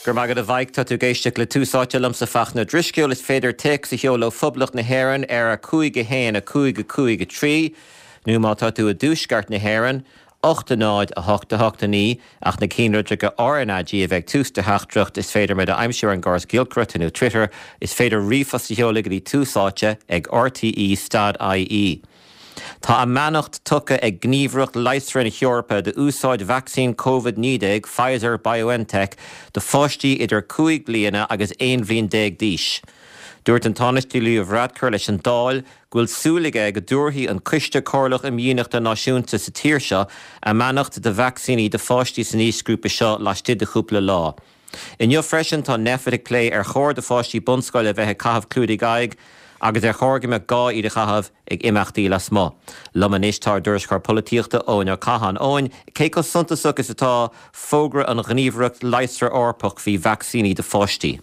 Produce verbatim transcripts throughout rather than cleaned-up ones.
Gur maigad a bhaid tá tú ag éisteacht le Tús Áite liomsa Fachtna Drisceoil is féidir téacs a sheoladh ó Phoblacht na hÉireann ar a cúig a haon a cúig a cúig a trí, nó má tá tú i dtuaisceart na hÉireann, ocht a náid a hocht a hocht a naoi ach na ceannlitreacha RnaG a bheith ag tús do theachtaireacht is féidir muid a aimsiú ar an gcóras giolcaireachta nó Twitter, is féidir ríomhphost a sheoladh go dtí tús áite ag RTE stad IE. Tá a mbeannacht tugtha ag Gníomhaireacht Leigheasra na hEorpa d'úsáid vacsaín Covid naoi déag Pfizer BioNTech do pháistí idir cúig bliana agus aon bhliain déag d'aois. Dúirt an Tánaiste Leo Varadkar leis an Dáil go bhfuil súil aige go dtabharfaidh an Coiste Comhairleach Imdhíonachta Náisiúnta sa tír seo a mbeannacht do vacsaíní do pháistí san aoisghrúpa seo laistigh de chúpla lá. Inniu freisin tá Nphet ag plé ar chóir do pháistí bunscoile a bheith ag caitheamh clúdaigh aghaidh agus ar chóir go mbeadh gá iad a chaitheamh ag imeachtaí lasmuigh. Liom anois tá ár dtuairisceoir polaitíochta Eoin Ó Catháin. Eoin, cé chomh suntasach is atá fógra an Ghníomhaireacht Leigheasra Eorpach faoi vacsaíní do pháistí?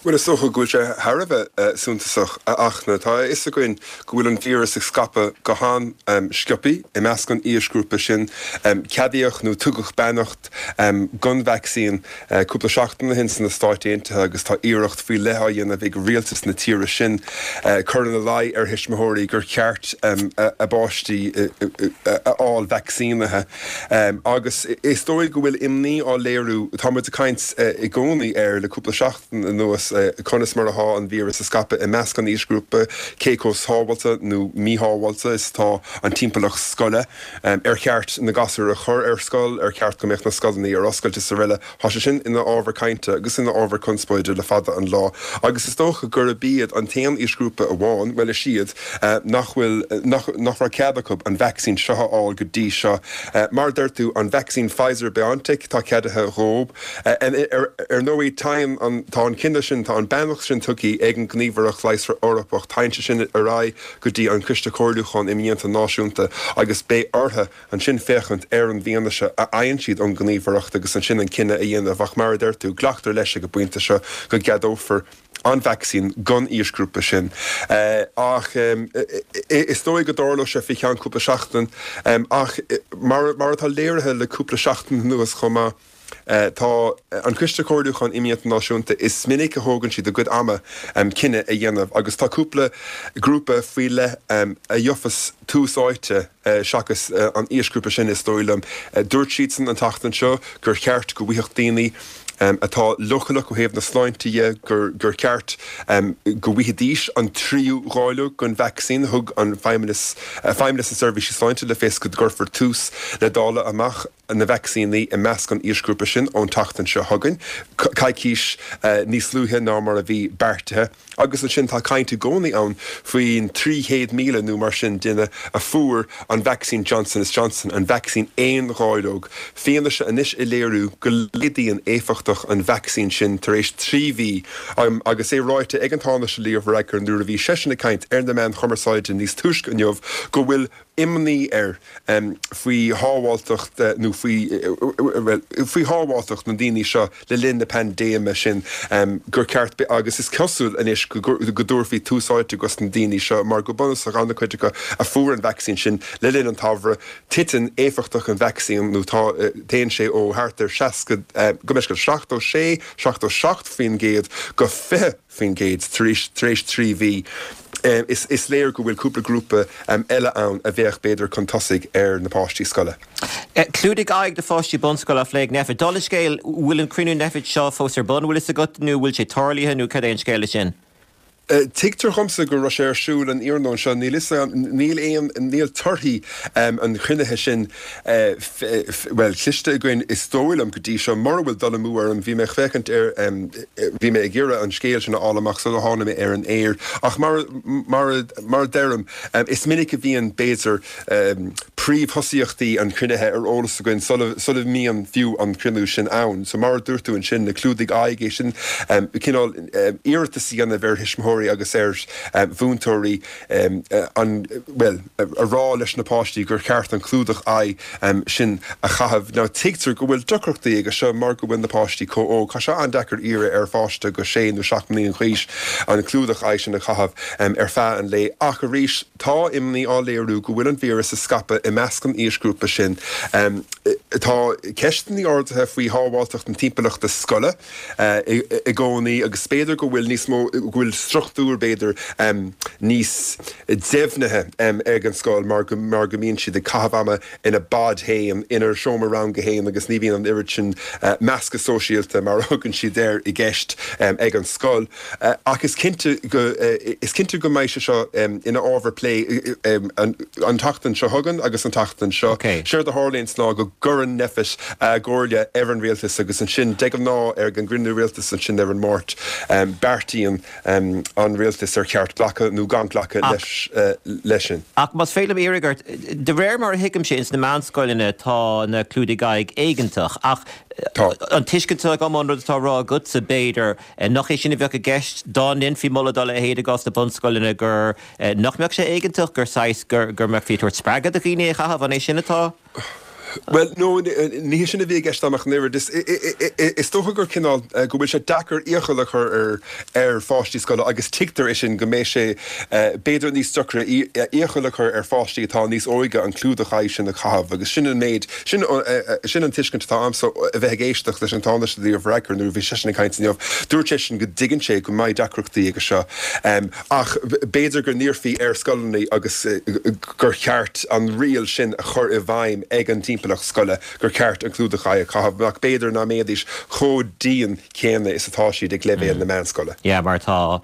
Bhuel, is dócha go bhfuil sé thar a bheith suntasach, a Fhachtna. Tá a fhios againn go bhfuil an víreas ag scaipeadh go han-sciobtha i measc an aoisghrúpa sin. Ceadaíodh nó tugadh beannacht don vacsaín cúpla seachtain ó shin sna Stáit Aontaithe agus tá iarracht faoi leith á dhéanamh ag rialtas na tíre sin cur ina luí ar thuismitheoirí gur cheart a bpáistí a fháil vacsaínithe. Agus is dóigh go bhfuil imní á léiriú, tá muid ag caint i gcónaí air le cúpla seachtain anuas, conas mar atá an víreas ag scaipeadh i measc an aoisghrúpa, cé chomh sábháilte nó míshábháilte is atá an timpeallacht scoile, ar cheart na gasúir a chur ar scoil, ar cheart go mbeadh na scoileanna ar oscailt is araile. Tá sé sin ina ábhar cainte agus ina ábhar conspóide le fada an lá agus is dócha gurb iad an t-aon aoisghrúpa amháin, bhuel is iad, nach bhfuil, nach, nach raibh cead acu an vacsaín seo a fháil go dtí seo. Mar a deir tú, an vacsaín Pfizer-BioNTech, tá ceadaithe dhóibh. Ar ndóigh, téann an, tá an cinneadh sin, tá an beannacht sin tugtha ag an nGníomhaireacht Leigheasra Eorpach, téann sé sin ar aghaidh go dtí an Coiste Comhairliúcháin Imdhíonta Náisiúnta agus beidh orthu ansin féachaint ar an bhfianaise a fhaigheann siad ón nGníomhaireacht agus ansin an cinneadh a dhéanamh. Ach mar a deir tú, glactar leis ag an bpointe seo go gceadófar an vacsaín don aoisghrúpa sin. Ach is dóigh go dtarlóidh sé faoi cheann cúpla seachtain. Ach mar atá léirithe le cúpla seachtain anuas chomh maith, tá an Coiste Comhairliúcháin Imdhíonta Náisiúnta, is minic a thógann siad a gcuid ama cinneadh a dhéanamh agus tá cúpla grúpa faoi leith a gheofas tús áite seachas an aoisghrúpa sin, is dóigh liom. Dúirt siadsan an tseachtain seo gur cheart go bhfaigheadh daoine atá leochaileach ó thaobh na sláinte dhe gur cheart go bhfaighidís an tríú dháileog den vacsaín. Thug an Feidhmeannas, Feidhmeannas na Seirbhíse Sláinte le fios go gcuirfear tús le dáileadh amach na vacsaíní i measc an aoisghrúpa sin ón tseachtain seo chugainn, coicís níos luaithe ná mar a bhí beartaithe. Agus ansin tá caint i gcónaí ann faoin trí chéad míle nó mar sin duine a fuair an vacsaín Johnson is Johnson, an vacsaín aon dháileog. Fianaise anois ag léiriú go laghdaíonn éifeachtacht an vacsaín sin tar éis trí mhí agus é ráite ag an Tánaiste Leo Varadkar nuair a bhí seisean ag caint ar na meáin chumarsáide níos túisce inniu go bhfuil imní air faoi shábháilteacht nó faoi, bhuel, faoi shábháilteacht na ndaoine seo le linn na paindéime sin, gur ceart, agus is cosúil anois go dtabharfaí tús áite dos na daoine seo mar go bunúsach an-chuid acu a fuair an vacsaín sin le linn an tsamhraidh, titeann éifeachtacht an vacsaín nó tá, téann sé ó thart ar seasca, go mb'fhéidir seachtó sé, seachtó seacht faoin gcéad go fiche faoin gcéad tar éis, tar éis trí mhí. Is, is léir go bhfuil cúpla grúpa eile ann a bheadh b'fhéidir chun tosaigh ar na páistí scoile. Clúdaigh aghaidh do pháistí bunscoile á phlé ag Nphet. Dála an scéil, bhfuil an cruinniú Nphet seo fós ar bun, bhfuil fhios agat, nó bhfuil sé tarlaithe nó cad é an scéal leis sin? Tuigtear dhomsa go raibh sé ar siúl an iarnóin seo. Níl fhios agam, níl aon, níl torthaí an chruinnithe sin, bhuel, cloiste againn is dóigh liom go dtí seo. Mura bhfuil dul amú orm, bhí mé ag féachaint ar, bhí mé ag iarraidh an scéal sin a fháil amach sula tháinig mé ar an aer. Ach mar, mar, mar a deirim, is minic a bhíonn, b'fhéidir, príomhthosaíochtaí an chruinnithe ar eolas againn sula, sula mbíonn fiú an cruinniú sin ann. So mar a dúirt tú ansin, na clúdaigh aghaidh, é sin, cineál iarratas a dhéanamh ar thuismitheoirí, thuismitheoirí agus ar mhúinteoirí an, bhuel, a rá leis na páistí gur cheart an clúdach aghaidhe sin a chaitheamh. Now tuigtear go bhfuil deacrachtaí aige seo mar go bhfuil na páistí chomh óg. Tá sé an-deacair iarraidh ar pháiste go sé nó seacht mbliana d'aois an clúdach aghaidhe sin a chaitheamh ar feadh an lae. Ach arís, tá imní á léiriú go bhfuil an víreas ag scaipeadh i measc an aoisghrúpa sin. Tá ceisteanna ardaithe faoi shábháilteacht na timpeallachta scoile i gcónaí agus b'fhéidir go bhfuil níos mó, go bhfuil struchtúr b'fhéidir níos deimhnithe ag an scoil mar go mar go mbíonn siad ag caitheamh ama ina bpod féin, ina seomra ranga féin agus ní bhíonn an oiread sin meascadh sóisialta mar a thugann siad air i gceist ag an scoil. Ach is cinnte go is cinnte go mbeidh sé seo ina ábhar plé an tseachtain seo chugainn agus an tseachtain seo. Séard a tharlaíonns ná go gcuireann Nphet a gcomhairle ar an rialtas agus ansin de ghnáth ar an gcruinniú rialtais ansin ar an Máirt beartaíonn an rialtas ar cheart glacadh nó gan glacadh leis leis sin. Ach más féidir liom iarraidh ort, de réir mar a thuigimse ins na meánscoileanna tá na clúdaigh aghaidh éigeantach ach an tuiscint atá agam ón rud atá á rá agatsa b'fhéidir nach é sin a bheadh i gceist dá ndéanfaí moladh dá leithéid i gcás na bunscoileanna gur nach mbeadh sé éigeantach gur saghas gur gur mbeifí ag tabhairt spreagadh do dhaoine é a chaitheamh, an é sin atá? Bhuel, no, ní hé sin a bhí i gceist agam ach an oiread. Is dócha gur cineál, go bhfuil sé deacair iachall a chur ar ar pháistí scoile agus tuigtear é sin, go mbeidh sé b'fhéidir níos deacra iachall a chur ar pháistí atá níos óige an clúdach aghaidhe sin a chaitheamh agus sin an méid, sin sin an tuiscint atá agamsa a bheith ag éisteacht leis an Tánaiste Leo Varadkar nuair a bhí seisean ag caint inniu. Dúirt seisean go dtuigeann sé go mbeidh deacrachtaí aige seo ach b'fhéidir go n-iarrfaí ar scoileanna agus gur cheart an riail sin a chur i bhfeidhm ag an timpeallacht scoile gur ceart an clúdach aghaidhe a chaitheamh, ach b'fhéidir nach mbeidís chomh dian céanna is atá siad ag leibhéal na meánscoile. Yeah, mar tá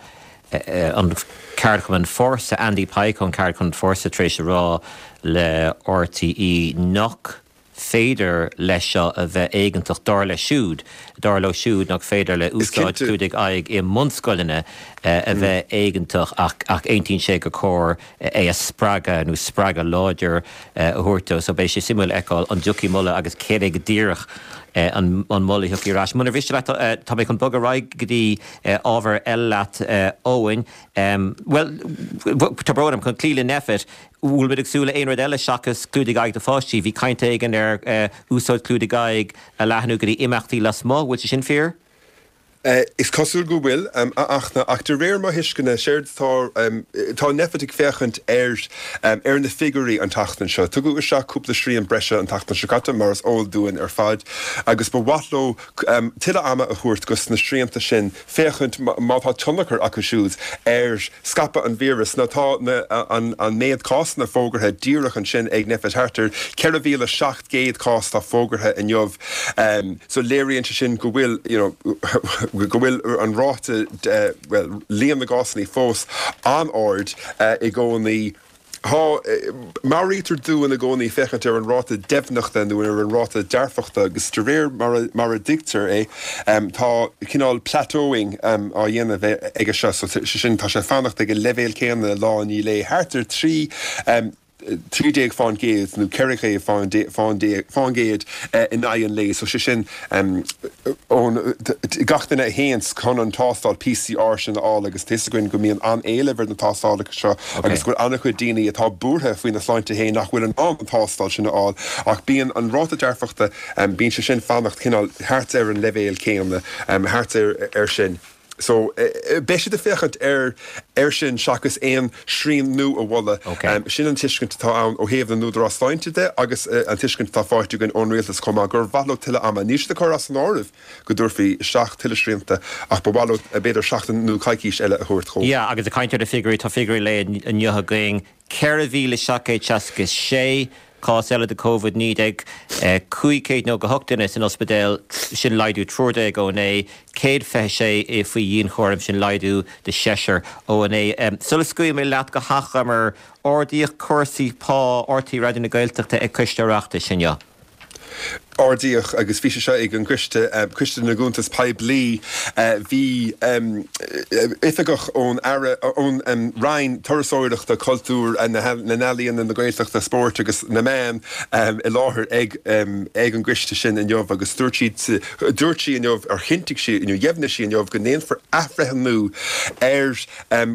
an ceardchumann Fórsa, Andy Pike ón ceardchumann Fórsa tar éis a rá le RTÉ nach féidir leis seo a bheith éigeantach, dar leis siúd, dar leo siúd nach féidir le úsáid clúdaigh aghaidh i mbunscoileanna a bheith éigeantach ach ach aontaíonn sé gur chóir é a spreagadh nó spreagadh láidir a thabhairt dó. So beidh sé suimiúil a fheiceáil an dtiocfaidh moladh agus céard é go díreach an moladh a thiocfaidh ar ais. Munar mhiste leat, tá mé chun bogadh ar aghaidh go dtí ábhar eile leat, Eoin. Bhuel, tá brón orm, chun cloí le Nphet, bhfuil muid ag súil le aon rud eile seachas clúdaigh aghaidh do pháistí? Bhí caint éigin ar úsáid clúdaigh aghaidh a leathnú go dtí imeachtaí lasmuigh, bhfuil sé sin fíor? Is cosúil go bhfuil, a Fhachtna, ach de réir mo thuisceana, séard atá, tá Nphet ag féachaint ar ar na figiúirí an tseachtain seo. Tugadh isteach cúpla srian breise an tseachtain seo caite, mar is eol dúinn ar fad, agus ba mhaith leo tuilleadh ama a thabhairt dos na srianta sin féachaint má tá tionchar acu siúd ar scaipeadh an víris. Now tá na an an méad cásanna fógartha díreach ansin ag Nphet, thart ar ceithre mhíle seacht gcéad cás atá fógartha inniu. So léiríonn sé sin go bhfuil, you know, go bhfuil an ráta, bhuel, líon na gcásanna fós an-ard i gcónaí. Tá, meabhraítear dúinn i gcónaí féachaint ar an ráta deimhneachta nó ar an ráta dearfachta agus de réir mar a, mar a dtuigtear é, tá cineál plateauing á dhéanamh aige seo, so sé sin, tá sé ag fanacht ag an leibhéal céanna lá i ndiaidh lae, thart ar trí, trí déag fán gcéad nó ceithre chéad fán gcéad in aghaidh an lae. So sé sin ón gach duine a théanns chun an tástáil PCR sin a fháil agus tá fhios againn go mbíonn an-éileamh ar na tástálacha seo agus go bhfuil an-chuid daoine atá buartha faoina sláinte féin nach bhfuil in ann an tástáil sin a fháil ach bíonn an ráta dearfachta, bíonn sé sin fanacht cineál thart ar an leibhéal céanna, thart ar sin. So, beidh siad ag féachaint ar air sin seachas aon srian nua a mholadh. Sin an tuiscint atá ann ó thaobh na n-údarás sláinte de agus an tuiscint atá faighte againn ón rialtas chomh maith, gur mhaith leo tuilleadh ama. Níl siad ag cur as an áireamh go dtabharfaí isteach tuilleadh srianta ach ba mhaith leo b'fhéidir seachtain nó coicís eile a thabhairt dhóibh. Yeah, agus ag caint ar na figiúirí, tá figiúirí lae inniu againn, ceithre mhíle seacht gcéad seasca sé cás eile de Covid naoi déag, cúig chéad nócha hocht duine san ospidéal, sin laghdú triúr déag ó inné, céad fiche sé faoi dhianchúram, sin laghdú de sheisear ó inné. Sula scaoilfidh mé leat go hachomair, ardaíodh cúrsaí pá RTÉ Raidió na Gaeltachta ag Coiste Oireachtais inniu. Ardaíodh, agus bhí sé seo ag an gCoiste, Coiste na gCuntas Poiblí, bhí oifigeach ón Aire, ón Roinn Turasóireachta, Cultúir, na nEalaíon, na Gaeltachta, Spóirt agus na Meán i láthair ag ag an gcoiste sin inniu agus dúirt sí, dúirt sí inniu, ar chinntigh sí inniu, dheimhnigh sí inniu go ndéanfar athbhreithniú ar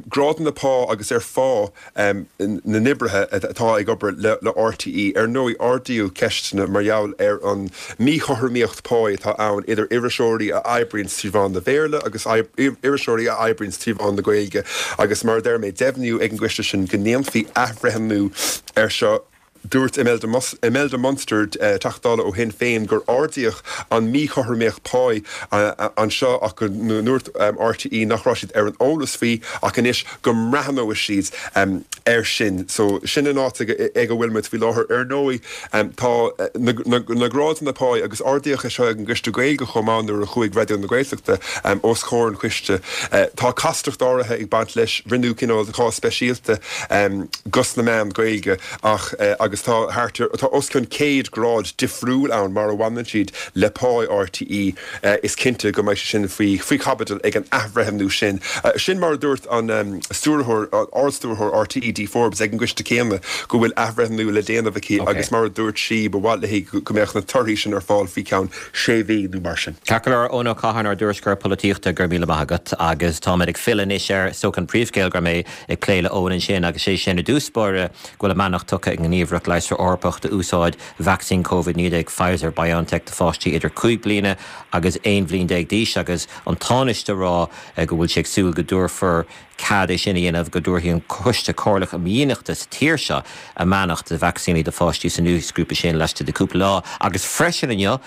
ghrádanna pá agus ar phá na n-oibrithe atá ag obair le RTÉ. Ar ndóigh, ardaíodh ceisteanna mar gheall ar an míchothromaíocht páí atá ann idir iriseoirí a oibríonns trí mheán na Béarla agus iriseoirí a oibríonns trí mheán na Gaeilge agus mar a deir mé, deimhníodh ag an gcoiste sin go ndéanfaí athbhreithniú air seo. Dúirt Imelda Munster, Teachta Dála ó Shinn Féin, gur ardaíodh an mhíchothromaíocht páí anseo ach go ndúirt RTÉ nach raibh siad ar an eolas faoi ach anois go mbreathnóidh siad air sin. So sin an áit ag a bhfuil muid faoi láthair. Ar ndóigh tá na grádanna páí agus ardaíodh é seo ag an gCoiste Gaeilge chomh maith nuair a chuaigh Raidió na Gaeltachta os comhair an choiste. Tá castacht áirithe ag baint leis, rinneadh cineál de chás speisialta dos na meáin Ghaeilge ach agus tá thart ar, tá os cionn céad grád difriúil ann mar a bhaineann siad le pá RTÉ. Is cinnte go mbeidh sé sin faoi faoi chaibidil ag an athbhreithniú sin. Sin mar a dúirt an Stiúrthóir, Ard-Stiúrthóir RTÉ, Dee Forbes ag an gcoiste céanna go bhfuil athbhreithniú le déanamh aici agus mar a dúirt sí ba mhaith léi go mbeadh na torthaí sin ar fáil faoi cheann sé mhí nó mar sin. Ceart go leor, Eoin Ó Catháin, ár dtuairisceoir polaitíochta, go raibh míle maith agat. Agus táimid ag filleadh anois ar, is dócha, an príomhscéal go raibh mé ag plé le Eoin ansin agus sé sin i dtús báire go bhfuil a mbeannacht tugtha ag an nGníomhaireacht Leigheasra Eorpach d'úsáid vacsaín Covid naoi déag Pfizer BioNTech do pháistí idir cúig bliana agus aon bhliain déag d'aois agus an Tánaiste ag rá go bhfuil sé ag súil go dtabharfar cead é sin a dhéanamh, go dtabharfaidh an Coiste Comhairleach um Dhíonachta sa tír seo a mbeannacht do vacsaíní do pháistí san aoisghrúpa sin laistigh de cúpla lá agus freisin inniu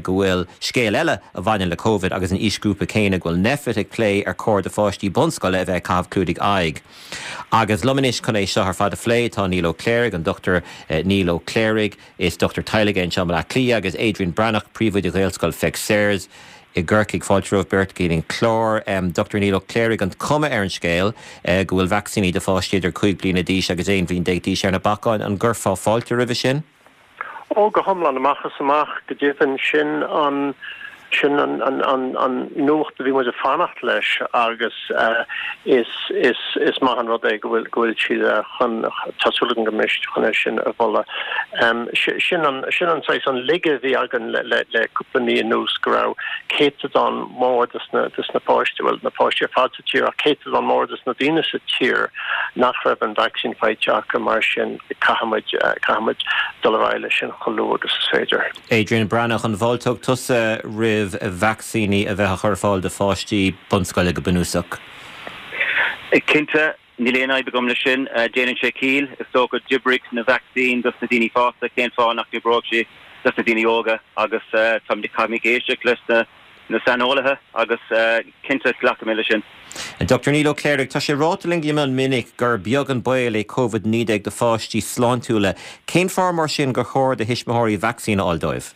go bhfuil scéal eile a bhaineann le Covid agus an aoisghrúpa céanna, go bhfuil Nphet ag plé ar chóir do pháistí bunscoile a bheith ag caitheamh clúdaigh aghaidh. Agus liom anois chun é seo ar fad a phlé tá Niall Ó Cléirigh, an Dochtúir Niall Ó Cléirigh, is dochtúir teaghlaigh é anseo i mBaile Átha Cliath, agus Adrian Breathnach, príomhoide Ghaelscoil Pheig Sayers i gCorcaigh. Fáilte romhaibh beirt go dtí an clár. Dochtúir Niall Ó Cléirigh, an cuma ar an scéal go bhfuil vacsaíní do pháistí idir cúig bliana d'aois agus aon bhliain déag d'aois ar na bacáin, an gcuirfeá fáilte roimhe sin? Ó, go hiomlán, amach is amach, go deimhin, sin an sin an an an an nuacht a bhí muid ag fanacht leis agus is is is maith an rud é go bhfuil go bhfuil siad chun tá súil agam go mbeidh siad chun é sin a mholadh. Sin an sin an saghas an laige a bhí againn le le le cúpla mí anuas go raibh céatadán mór des na des na páistí, bhuel na páistí ar fad sa tír ach céatadán mór des na daoine sa tír nach raibh an vacsaín faighte acu mar sin caithfimid caithfimid dul ar aghaidh leis sin chomh luath agus is féidir. Adrian Breathnach, an bhfáilteodh tusa roimh vacsaíní a bheith á chur ar fáil do pháistí bunscoile go bunúsach? Cinnte, níl aon fhadhb agam leis sin. Déanann sé ciall. Is dócha, d'oibrigh na vacsaín dos na daoine fásta, cén fáth nach n-oibreodh sé dos na daoine óga? Agus táimid, caithfimid éisteacht leis na na saineolaithe agus cinnte glacfaidh mé leis sin. Dochtúir Niall Ó Cléirigh, tá sé ráite linn go mion minic gur beag an baol é Covid naoi déag do pháistí sláintiúla. Cén fáth mar sin gur chóir do thuismitheoirí vacsaín a fháil dóibh?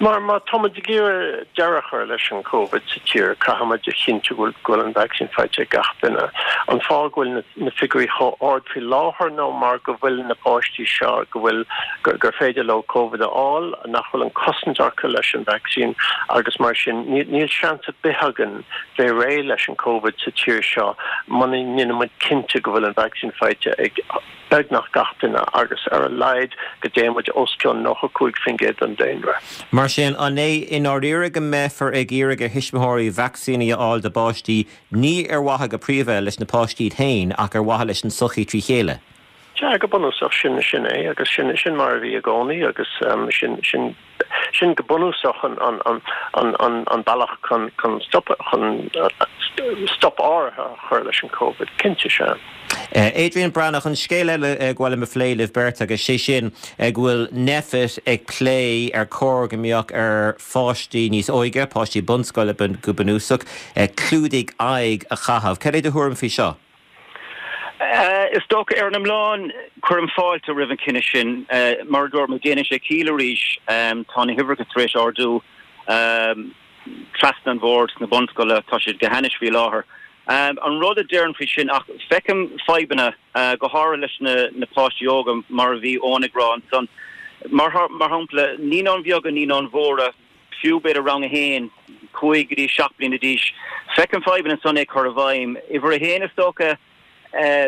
Mar má táimid ag iarraidh deireadh a chur leis an Covid sa tír, caithfimid a chinntiú go bhfuil an vacsaín faighte ag gach duine. An fáth go bhfuil na figiúirí chomh ard faoi láthair ná mar go bhfuil na páistí seo, go bhfuil, gur féidir leo Covid a fháil, nach bhfuil an cosaint acu leis an vacsaín agus mar sin níl seans ar bith againn bheith réidh leis an Covid sa tír seo muna ndéanann muid cinnte go bhfuil an vacsaín faighte ag beagnach gach duine agus ar a laghad go dtéann muid os cionn nócha cúig faoin gcéad den daonra. Mar sin, an é i ndáiríre go mbeifear ag iarraidh ar thuismitheoirí vacsaíní a fháil dá bpáistí ní ar mhaithe go príomha leis na páistí iad féin ach ar mhaithe leis an tsochaí trí chéile? Sea, go bunúsach, sin, sin é, agus sin, sin mar a bhí i gcónaí, agus sin, sin, sin go bunúsach an, an, an, an, an, an bealach chun, chun stop, chun stop áirithe a chur leis an Covid, cinnte, sea. Adrian Breathnach, an scéal eile ba mhaith liom a phlé libh beirt agus sé sin go bhfuil Nphet ag plé ar chóir go mbeadh ar pháistí níos óige, páistí bunscoile go bunúsach, clúdaigh aghaidh a chaitheamh. Cad é do thuairim faoi seo? Is dócha, ar an iomlán, cuirim fáilte roimh an chinneadh sin. Mar a dúirt mé, déanann sé ciall arís. Tá na huimhreacha tar éis ardú trasna an bhord sna bunscoileanna, tá siad go hainnis faoi láthair. An rud a déarfainn faoi sin, ach feicim fadhbanna, go háirithe leis na páistí óga, mar a bhí Eoin ag rá ansan. Mar mar shampla, naíonáin bheaga, naíonáin mhóra, fiú b'fhéidir rang a haon, cúig go dtí seacht bliana d'aois. Feicim fadhbanna ansan é cur i bhfeidhm. Uimhir a haon is dócha,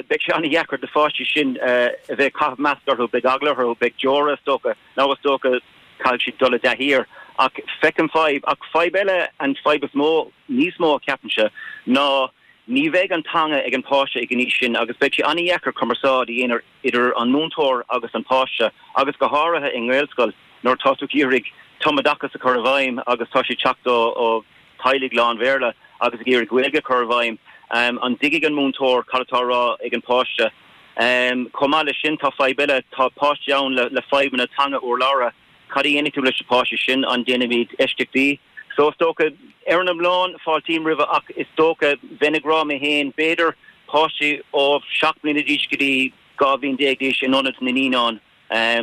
beidh sé an-dheacair do pháistí sin a bheith ag caitheamh masc orthu, beidh eagla orthu, beidh deora is dócha, nó is dócha caithfidh siad dul i dtaithí air. Ach feicim fadhb, ach fadhb eile, an fadhb is mó, níos mó ceapaimse, ná ní bheidh an teanga ag an páiste ag an aois sin agus beidh sé an-dheacair cumarsáid a dhéanamh idir an múinteoir agus an páiste agus go háirithe i nGaelscoil nuair atá tú ag iarraidh tumoideachas a chur i bhfeidhm agus tá siad teacht ó teaghlaigh lán-Bhéarla agus ag iarraidh Gaeilge a chur i bhfeidhm. An dtuigfidh an múinteoir cad atá á rá ag an páiste? Chomh maith leis sin tá fadhb eile, tá páistí ann le fadhbanna teanga urlabhra. Cad a dhéanfaidh tú leis na páistí sin? An ndéanfaimid eisceachtaí? So is dócha, ar an iomlán, fáiltím roimhe ach is dócha, bheinn ag rá mé féin, b'fhéidir páistí ó seacht mbliana d'aois go dtí dhá bhliain déag d'aois in ionad na naíonán.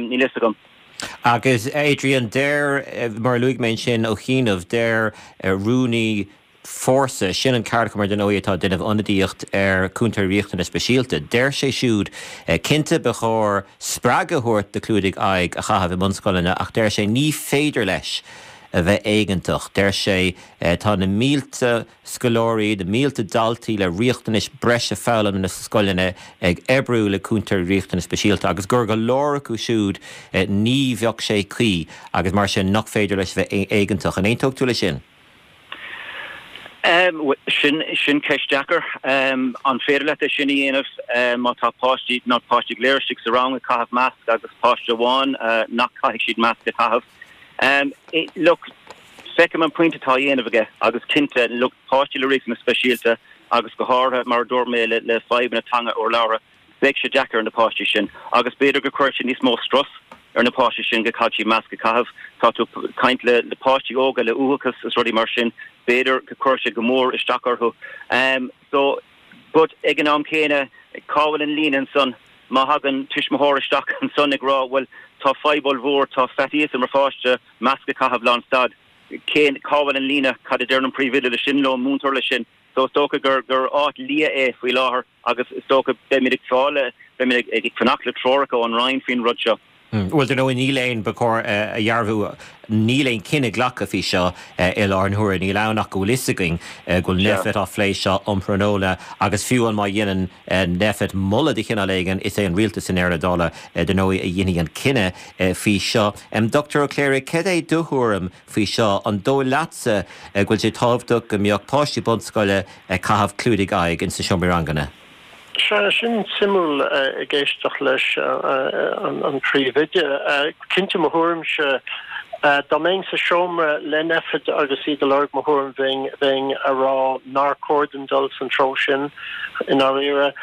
Níl fhios agam. Agus Adrian, deir, mar a luaigh mé ansin ó chianaibh, deir rúnaí Fórsa, sin an ceardchumann ar ndóigh atá ag déanamh ionadaíocht ar chúntóirí riachtanas speisialta, deir sé siúd, cinnte ba chóir spreagadh a thabhairt do chlúdaigh aghaidh a chaitheamh i mbunscoileanna ach deir sé ní féidir leis a bheith éigeantach. Deir sé tá na mílte scoláirí, na mílte daltaí le riachtanais breise foghlama sna scoileanna ag oibriú le cúntóirí riachtanas speisialta agus gur go leor acu siúd ní bheadh sé cuí agus mar sin nach féidir leis a bheith éigeantach. An aontódh tú leis sin? Sin sin ceist deacair. An féidir leat é sin a dhéanamh má tá páistí, ná páistí go léir istigh sa rang ag caitheamh masc agus páiste amháin nach caithfidh siad masc a chaitheamh? Look, feicim an pointe atá á dhéanamh aige agus cinnte, look, páistí le riachtanais speisialta agus go háirithe, mar a dúirt mé, le fadhbanna teanga urlabhra, beidh sé deacair ar na páistí sin agus b'fhéidir go cuirfidh sé níos mó strus ar na páistí sin go caithfidh siad masc a chaitheamh. Tá tú ag caint le le páistí óga le uathachas is rudaí mar sin, b'fhéidir go cuirfidh sé go mór isteach orthu. So, but ag an am céanna, cá bhfuil an líne ansan? Má thagann tuismitheoir isteach ansan ag rá, bhuel, tá fadhb ollmhór, tá faitíos ar mo pháiste masc a chaitheamh lánstad, cén, cá bhfuil an líne, cad a deir an príomhoide leis sin nó an múinteoir leis sin? So is dócha gur, gur áit liath é faoi láthair agus is dócha beimid ag fáil, beimid ag fanacht le treoracha ón Roinn faoin rud seo. Bhuel, dar ndóigh, níl aon, ba chóir a dhearbhú, níl aon chinneadh glactha faoi seo i láthair na huaire. Níl ann ach go bhfuil fhios againn go bhfuil Nphet á phlé seo um thráthnóna agus fiú amháin má dhéanann Nphet moladh de chineál éigin, is é an rialtas i ndeireadh na dála, dar ndóigh, a dhéanfaidh an cinneadh faoi seo. Dochtúir Ó Cléirigh, cad é do thuairim faoi seo? An dóigh leatsa go bhfuil sé tábhachtach go mbeadh páistí bunscoile ag caitheamh clúdaigh aghaidh ins na seomraí ranganna? Sea, sin suimiúil ag éisteacht leis an Príomhoide. Cinnte, mo thuairimse, dá mbeinn sa seomra le Nphet agus iad ag lorg mo thuairim bheinn bheinn a rá nár chóir dúinn dul san treo sin i ndáiríre.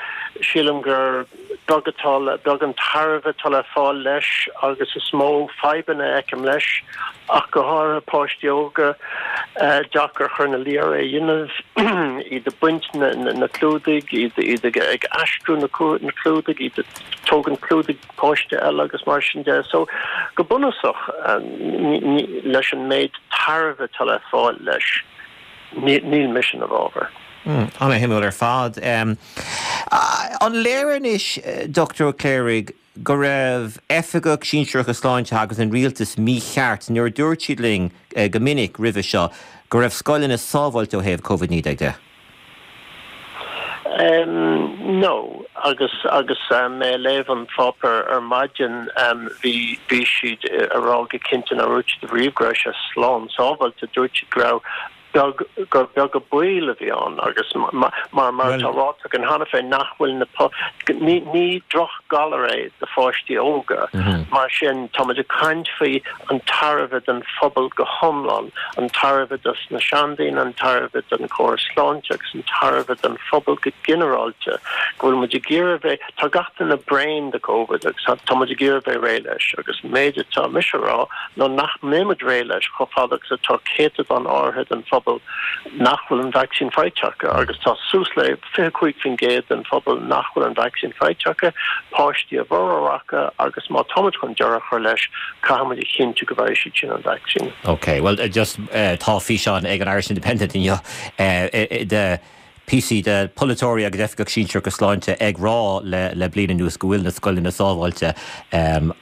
Sílim gur beag atá le beag an tairbhe atá le fáil leis agus is mó fadhbanna a fheicim leis ach go háirithe páistí óga, deacair a chur ina luí orthu é a dhéanamh, iad ag baint na clúdaigh, iad ag aistriú na clúdaigh, iad ag tógaint clúdaigh páiste eile agus mar sin de. So, go bunúsach, leis an méid tairbhe atá le fáil leis, níl mise ina bhfabhar. Ana-shuimiúil ar fad. An léir anois, Dochtúir Ó Cléirigh, go raibh oifigigh sinsearacha sláinte agus an rialtas mícheart nuair a dúirt siad linn go minic roimhe seo go raibh scoileanna sábháilte ó thaobh Covid naoi déag de? No, agus agus mé ag léamh an pháipéir ar maidin bhí bhí siad a rá go cinnte nár dhúirt siad riamh go raibh sé slán sábháilte, dúirt siad go raibh beag, gur beag an baol a bhí ann agus mar mar atá ráite againn cheana féin nach bhfuil na ní ní drochghalar é do pháistí óga. Mar sin táimid ag caint faoi an tairbhe don phobal go hiomlán, an tairbhe dos na seandaoine, an tairbhe don chóras sláinte agus an tairbhe don phobal go ginearálta go bhfuil muid ag iarraidh bheith tá gach duine bréan de Covid agus tá muid ag iarraidh bheith réidh leis agus an méid atá mise a rá ná nach mbeidh muid réidh leis chomh fada agus atá céatadán áirithe den phobal nach bhfuil an vacsaín faighte acu agus tá suas le fiche cúig faoin gcéad den phobal nach bhfuil an vacsaín faighte acu, páistí a bhformhór acu agus má táimid chun deireadh a chur leis caithfidh muid a chinntiú go bhfaighidh siad sin an vacsaín. Ok, bhuel just tá físeán ag an Irish Independent inniu de píosaí de polaiteoirí agus oifigigh sinsearacha sláinte ag rá le le bliain anuas go bhfuil na scoileanna sábháilte.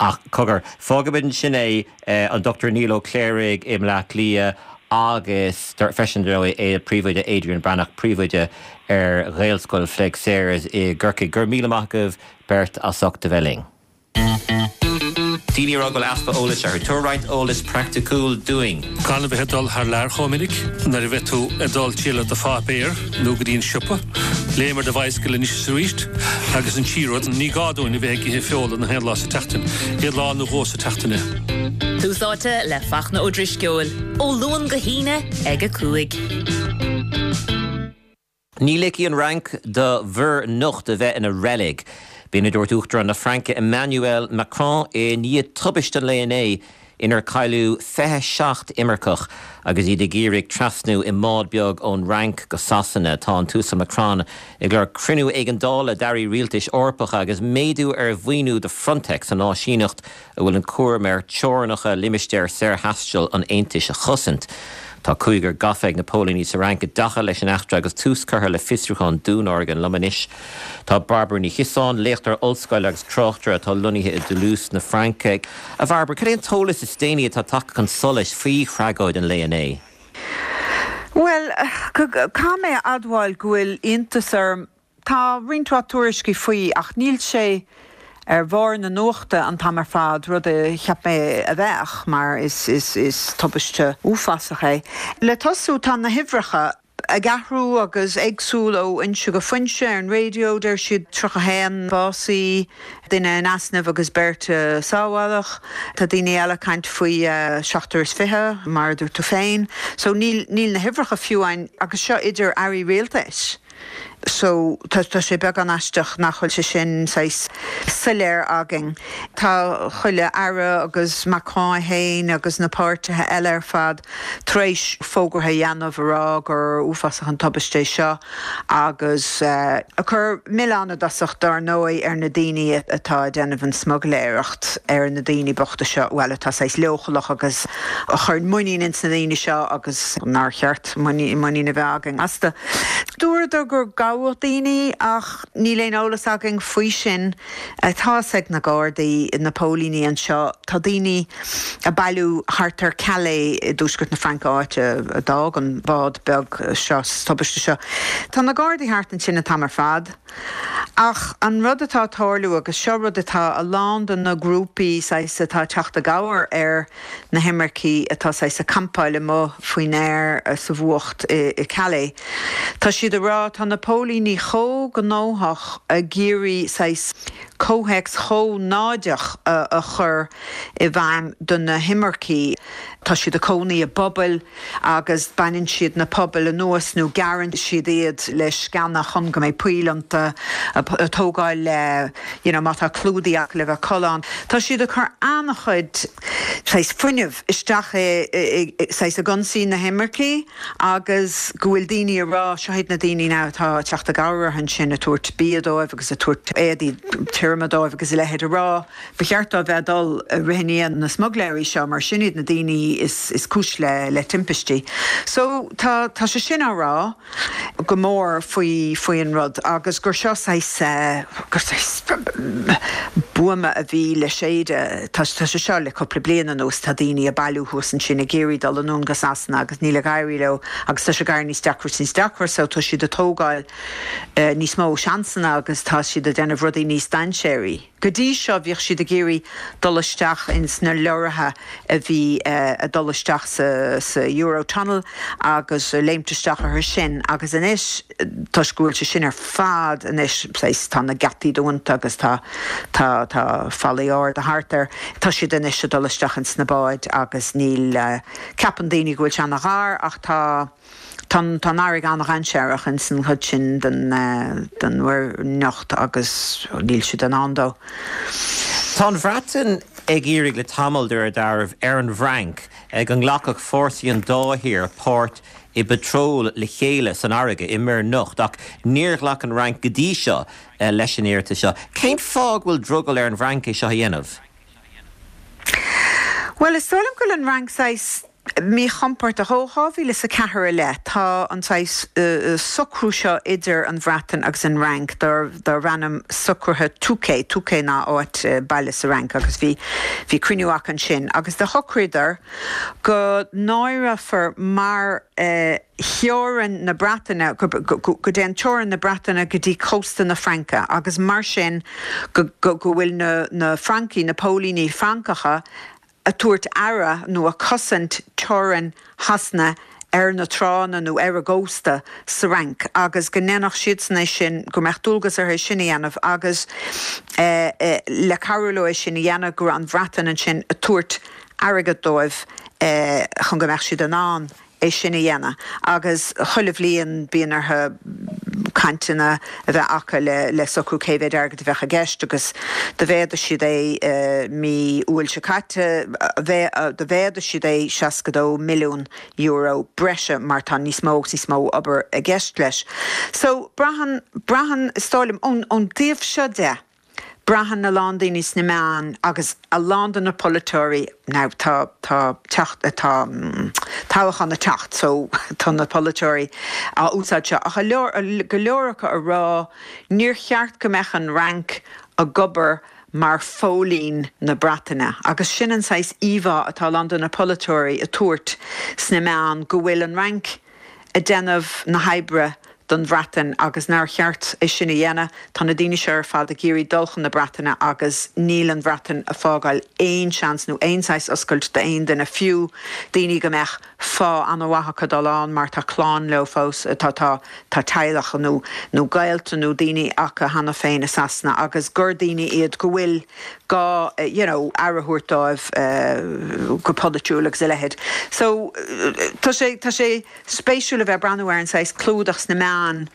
Ach cogar, fágfaimid ansin é, an Dochtúir Niall Ó Cléirigh i mBleá Cliath agus freisin dar ndóigh príomhoide Adrian Breathnach, príomhoide ar Ghaelscoil Pheig Sayers i gCorcaigh. Go raibh míle maith agaibh beirt as ucht a bheith linn. Daoine a rá go bhfuil easpa eolais orthu. Tabhair roinnt eolas praiticiúil dúinn. Gan a bheith ag dul thar lear chomh minic, nuair a bheidh tú ag dul triall ar do pháipéar nó go dtí an siopa, léim ar do bhicycle anois is arís agus an tríú rud, ní gá dúinn a bheith ag ithe feola na haon lá sa tseachtain, aon lá nó dhó sa tseachtain é. Tús Áite le Fachtna Ó Drisceoil, ó Luan go hAoine ag a cúig. Ní ligfidh an Fhrainc do Mhuir nIocht a bheith ina reilig. B'in a dúirt Uachtarán na Fraince Emmanuel Macron i ndiaidh tubaiste an lae inné inar cailleadh fiche seacht imirceach agus iad ag iarraidh trasnú i mbád beag ón Fhrainc go Sasana. Tá an tUasal Macron ag lorg cruinniú éigeandála d'airí rialtais Eorpacha agus méadú ar mhaoiniú do Frontex, an áisíneacht a bhfuil an cúram air teorainneacha limistéar saorthaistil an Aontais a chosaint. Tá cúigear gafa ag na póilíní sa Fhrainc i dtaca leis an eachtra agus tús curtha le fiosrúchán dúnmharaithe. Liom anois tá Bairbre Ní Chiosáin, léachtóir ollscoile agus tráchtaire atá lonnaithe i dToulouse na Fraince. A Bhairbre, cad é an t-eolas is déanaí atá tagtha chun solais faoi thragóid an lae inné? Bhuel, caithfidh mé a admháil go bhfuil iontas orm. Tá roinnt mhaith tuairiscí faoi ach níl sé ar bharr na nuachta an t-am ar fad, rud a cheap mé a bheadh, mar is is is tubaiste uafásach é. Le tosú, tá na huimhreacha ag athrú agus éagsúil ó fhoinse go foinse, ar an raidió deir siad tríocha haon básaithe, duine in easnamh agus beirt a sábháladh. Tá daoine eile ag caint faoi seachtar is fiche, mar a dúirt tú féin. So níl níl na huimhreacha fiú ann agus seo idir airí rialtais. So tá tá sé beagán aisteach nach bhfuil sé sin saghas soiléir againn. Tá chuile aire agus Macron é féin agus na páirtithe eile ar fad tar éis fógartha a dhéanamh a rá gur uafásach an tubaiste é seo agus ag cur milleán i dtosach dar ndóigh ar na daoine atá ag déanamh an smugairléireacht ar na daoine bochta seo, bhuel atá saghas leochaileach agus a chuireann muinín ins na daoine seo agus nár cheart muinín a bheith againn astu. Dúradar gur gabhadh daoine ach níl aon eolas againn faoi sin. Tá fhios ag na Gardaí, na póilíní anseo, tá daoine ag bailiú thart ar Calais i dtuaisceart na Fraince áit a d'fhág an bád beag seo sa tubaiste seo. Tá na Gardaí thart ansin an t-am ar fad. Ach an rud atá ag tarlú, agus seo rud atá a lán de na grúpaí saghas atá ag teacht i gcabhair ar na himircigh atá saghas ag campáil amuigh faoin aer sa bhfuacht i Calais, tá siad ag rá tá na póilíní chomh gnóthach ag iarraidh saghas comhthéacs chomh náideach a chur i bhfeidhm do na himircigh. Tá siad ag cónaí i bpubaill agus baineann siad na pubaill anuas nó gearrann siad iad le sceana chun go mbeidh poill iontu ag tógáil le you know má tá clúdaigh acu le bheith ag codladh ann. Tá siad ag cur an-chuid saghas fuinnimh isteach i saghas ag ionsaí na himircigh agus go bhfuil daoine ag rá seo iad na daoine now atá ag teacht i gcabhair orthu ansin ag tabhairt bia dóibh agus ag tabhairt éadaí tirime dóibh agus a leithéid ag rá ba cheart dóibh bheith ag dul ag rith i ndiaidh na smuigléirí seo mar sin iad na daoine is is cúis le le timpistí. So tá tá sé sin á rá go mór faoi faoi an rud agus gur seo saghas gur saghas buama a bhí le séideadh. Tá tá sé seo le cúpla bliain anuas tá daoine ag bailiú thuas ansin ag iarraidh dul anonn go Sasana agus níl ag éirí leo agus tá sé ag éirí níos deacra is níos deacra so tá siad ag tógáil níos mó seansanna agus tá siad ag déanamh rudaí níos dainséaraí. Go dtí seo bhíodh siad ag iarraidh dul isteach ins na leoraithe a bhí ag dul isteach sa sa Eurotunnel agus léimt isteach orthu sin agus anois toisc go bhfuil sé sin ar fad anois saghas tá na geataí dúnta agus tá tá tá fallaí arda thart air tá siad anois ag dul isteach ins na báid agus níl ceapann daoine go bhfuil sé ana-ghar ach tá Tá an fharraige an-dhainséarach ins an chuid sin den den Mhuir nIocht agus níl siad in ann dó. Tá an Bhreatain ag iarraidh le tamall de réir dealraimh ar an bhFrainc go nglacfadh fórsaí an dá thír páirt i bpatról le chéile san fharraige i Muir nIocht ach níor ghlac an Fhrainc go dtí seo leis an iarratas seo. Cén fáth go bhfuil drogall ar an bhFrainc é seo a dhéanamh? Bhuel, is dóigh liom go bhfuil an Fhrainc saghas. míchompordach. Ó dhá mhíle is a ceathair i leith, tá an saghas socrú seo idir an Bhreatain agus an Fhrainc darb ainm Socruithe Touquet, Touquet ná áit, baile sa Fhrainc, agus bhí bhí cruinniú acu ansin agus do shocraíodar go n-áireofar mar theorainn na Breataine, go dtéann teorainn na Breataine go dtí cósta na Fraince agus mar sin go bhfuil na Francaigh, na póilíní Francacha, a tabhairt aire nó a cosaint teorainn Shasana ar na tránna nó ar a gcósta sa Fhrainc agus go ndéanfadh siadsan é sin, go mbeadh dualgas orthu é sin a dhéanamh agus le cabhrú leo é sin a dhéanamh go raibh an Bhreatain ansin a tabhairt airgead dóibh chun go mbeadh siad in ann é sin a dhéanamh agus chuile bhliain bíonn orthu cainteanna a bheith acu le le socrú cé mhéad airgead a bheadh i gceist agus do mhéadaigh siad é mí Iúil seo caite, do mhéadaigh siad é seasca dó milliún euro breise mar tá níos mó agus níos mó obair i gceist leis. So braitheann, braitheann, is dóigh liom, ón ón dtaobh seo de, Braitheann a lán daoine sna meáin agus a lán de na polaiteoirí, now tá tá teacht tá toghchán ag teacht so tá na polaiteoirí á úsáid seo ach a leor go leor acu a rá níor cheart go mbeadh an Fhrainc ag obair mar phóilín na Breataine agus sin an saghas íomhá atá a lán de na polaiteoirí a tabhairt sna meáin go bhfuil an Fhrainc ag déanamh na hoibre don Bhreatain agus nár cheart é sin a dhéanamh. Tá na daoine seo ar fad ag iarraidh dul chun na Breataine agus níl an Bhreatain ag fágáil aon seans nó aon saghas oscailt d'aon duine, fiú daoine go mbeadh fáth an-mhaith acu dul ann mar tá clann leo fós, tá tá tá teaghlach nó nó gaolta nó daoine acu cheana féin i Sasana agus gur daoine iad go bhfuil gá you know aire a thabhairt dóibh go polaitiúil agus a leithéid. So tá sé tá sé spéisiúil a bheith ag breathnú ar an saghas clúdach sna meáin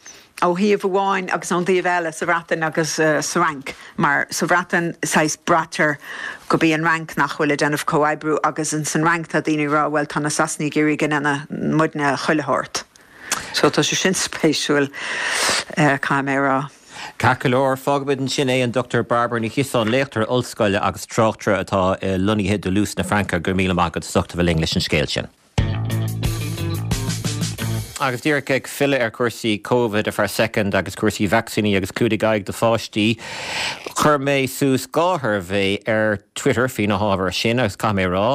ó thaobh amháin agus ón dtaobh eile sa Bhreatain agus sa Fhrainc, mar sa Bhreatain saghas braitear gurb í an Fhrainc nach bhfuil ag déanamh comhoibriú agus in san Fhrainc tá daoine ag rá bhuel tá na Sasanaigh ag iarraidh go ndéanfaidh muidne chuile shórt. So tá sé sin spéisiúil caithfidh mé a rá. Ceart go leor, fágfaimid ansin é, an Dochtúir Bairbre Ní Chiosáin, léachtóir ollscoile agus tráchtaire atá lonnaithe i dToulouse na Fraince, go raibh míle maith agat as ucht a bheith linn leis an scéal sin. Agus díreach ag filleadh ar chúrsaí Covid ar feadh soicind agus cúrsaí vacsaíní agus clúdaigh aghaidh do pháistí, chuir mé suas dhá shuirbhé ar Twitter faoi na hábhair sin agus caithfidh mé a rá,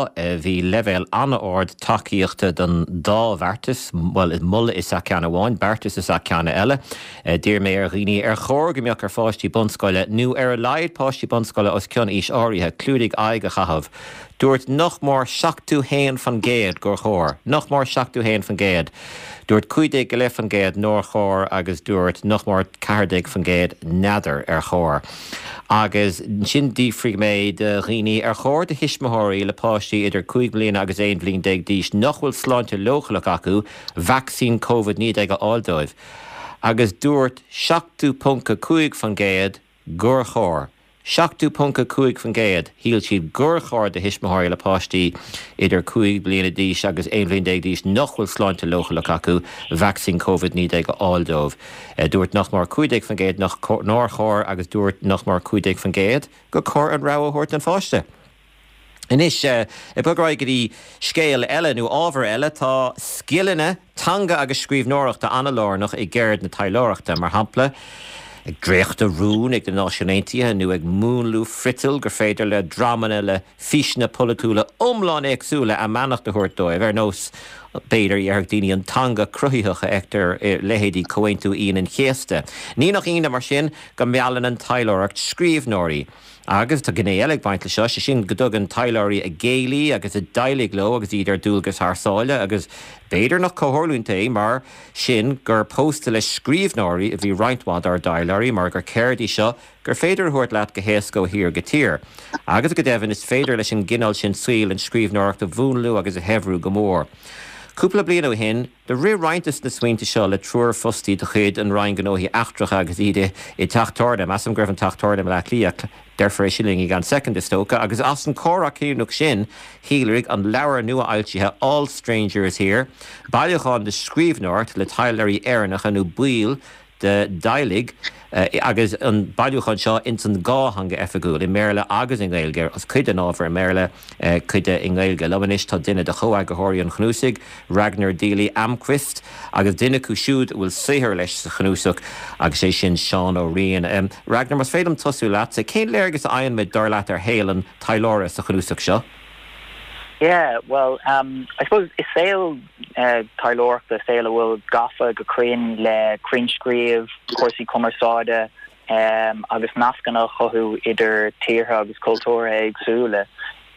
bhí leibhéal an-ard tacaíochta don dá bheartas, bhuel, moladh is ea ceann amháin, beartas is ea ceann eile. D'iarr mé ar dhaoine ar chóir go mbeadh ar pháistí bunscoile, nó ar a laghad páistí bunscoile os cionn aois áirithe, clúdaigh aghaidh a chaitheamh. Dúirt nach mór seachtó haon fan gcéad gur chóir. Nach mór seachtó haon fan gcéad. Dúirt cúig déag go leith fan gcéad nár chóir agus dúirt nach mór ceathair déag fan gcéad n'fheadar ar chóir. Agus ansin d'fhiafraigh mé de dhaoine ar chóir do thuismitheoirí le páistí idir cúig bliana agus aon bhliain déag d'aois nach bhfuil sláinte leochaileach acu vacsaín Covid naoi déag a fháil dóibh. Agus dúirt seachtó ponc a cúig fan gcéad gur chóir. seachtó ponc a cúig faoin gcéad, shíl siad gur chóir do thuismitheoirí le páistí idir cúig bliana d'aois agus aon bhliain déag d'aois nach bhfuil sláinte leochaileach acu vacsaín Covid naoi déag a fháil dóibh. Dúirt nach mór cúig déag faoin gcéad nár chóir agus dúirt nach mór cúig déag faoin gcéad gur chóir an rogha a thabhairt don pháiste. Anois, ag bogadh ar aghaidh go dtí scéal eile nó ábhar eile, tá scileanna teanga agus scríbhneoireachta an-lárnach i gceird na taidhleoireachta. Mar shampla, ag dréachtadh rún ag na Náisiúin Aontaithe nó ag múnlú friotail gur féidir le dreamanna le físeanna polaitiúla iomlán éagsúla a mbeannacht a thabhairt dóibh, ar nós, b'fhéidir, déarfadh daoine, an teanga cruthaitheach a fheictear i leithéidí Comhaontú Aoine an Chéasta. Ní nach ionadh, mar sin, go meallann an taidhleoireacht scríbhneoirí. Agus tá gné eile ag baint leis seo, sé sin go dtugann taidhleoirí a gcéilí agus a dteaghlaigh leo agus iad ar dualgas thar sáile agus b'fhéidir nach comhtharlúint é mar sin gur pósta le scríbhneoirí a bhí roinnt mhaith dár dtaidhleoirí mar gur ceird í seo gur féidir a thabhairt leat go héasca ó thír go tír. Agus go deimhin is féidir leis an gcineál sin saoil an scríbhneoireacht a mhúnlú agus a shaibhriú go mór. Cúpla bliain ó shin, do rith roinnt de na smaointe seo le triúr fostaí de chuid an Roinn Gnóthaí Eachtracha agus iad i dteach tábhairne, measaim go raibh an teach tábhairne i mBleá Cliath, déarfar é sin linn i gceann soicind is dócha, agus as an comhrá cinniúnach sin shíolraigh an leabhar nua-fhoilsithe All Strangers Here, bailiúchán de scríbhneoireacht le taidhleoirí Éireannacha nó baill D'Teaghlaigh agus an bailiúchán seo ins an dhá theanga oifigiúil, i mBéarla agus i nGaeilge, agus cuid den ábhar i mBéarla, cuid de i nGaeilge. Liom anois tá duine de chomheagarthóirí an chnuasaigh, Ragnar Dili Almqvist, agus duine acu siúd a bhfuil saothar leis sa chnuasach, agus sé sin Seán Ó Riain. Ragnar, más féidir liom tosú leatsa, cén léargas a fhaigheann muid, dar leat, ar shaol an taidhleora sa chnuasach seo? Yeah, well, um, I suppose is saol uh, taidhleoireachta saol a bhfuil gafa go cruinn le cruinnscríobh, cúrsaí cumarsáide um, agus nascanna a chothú idir tíortha agus cultúrtha éagsúla.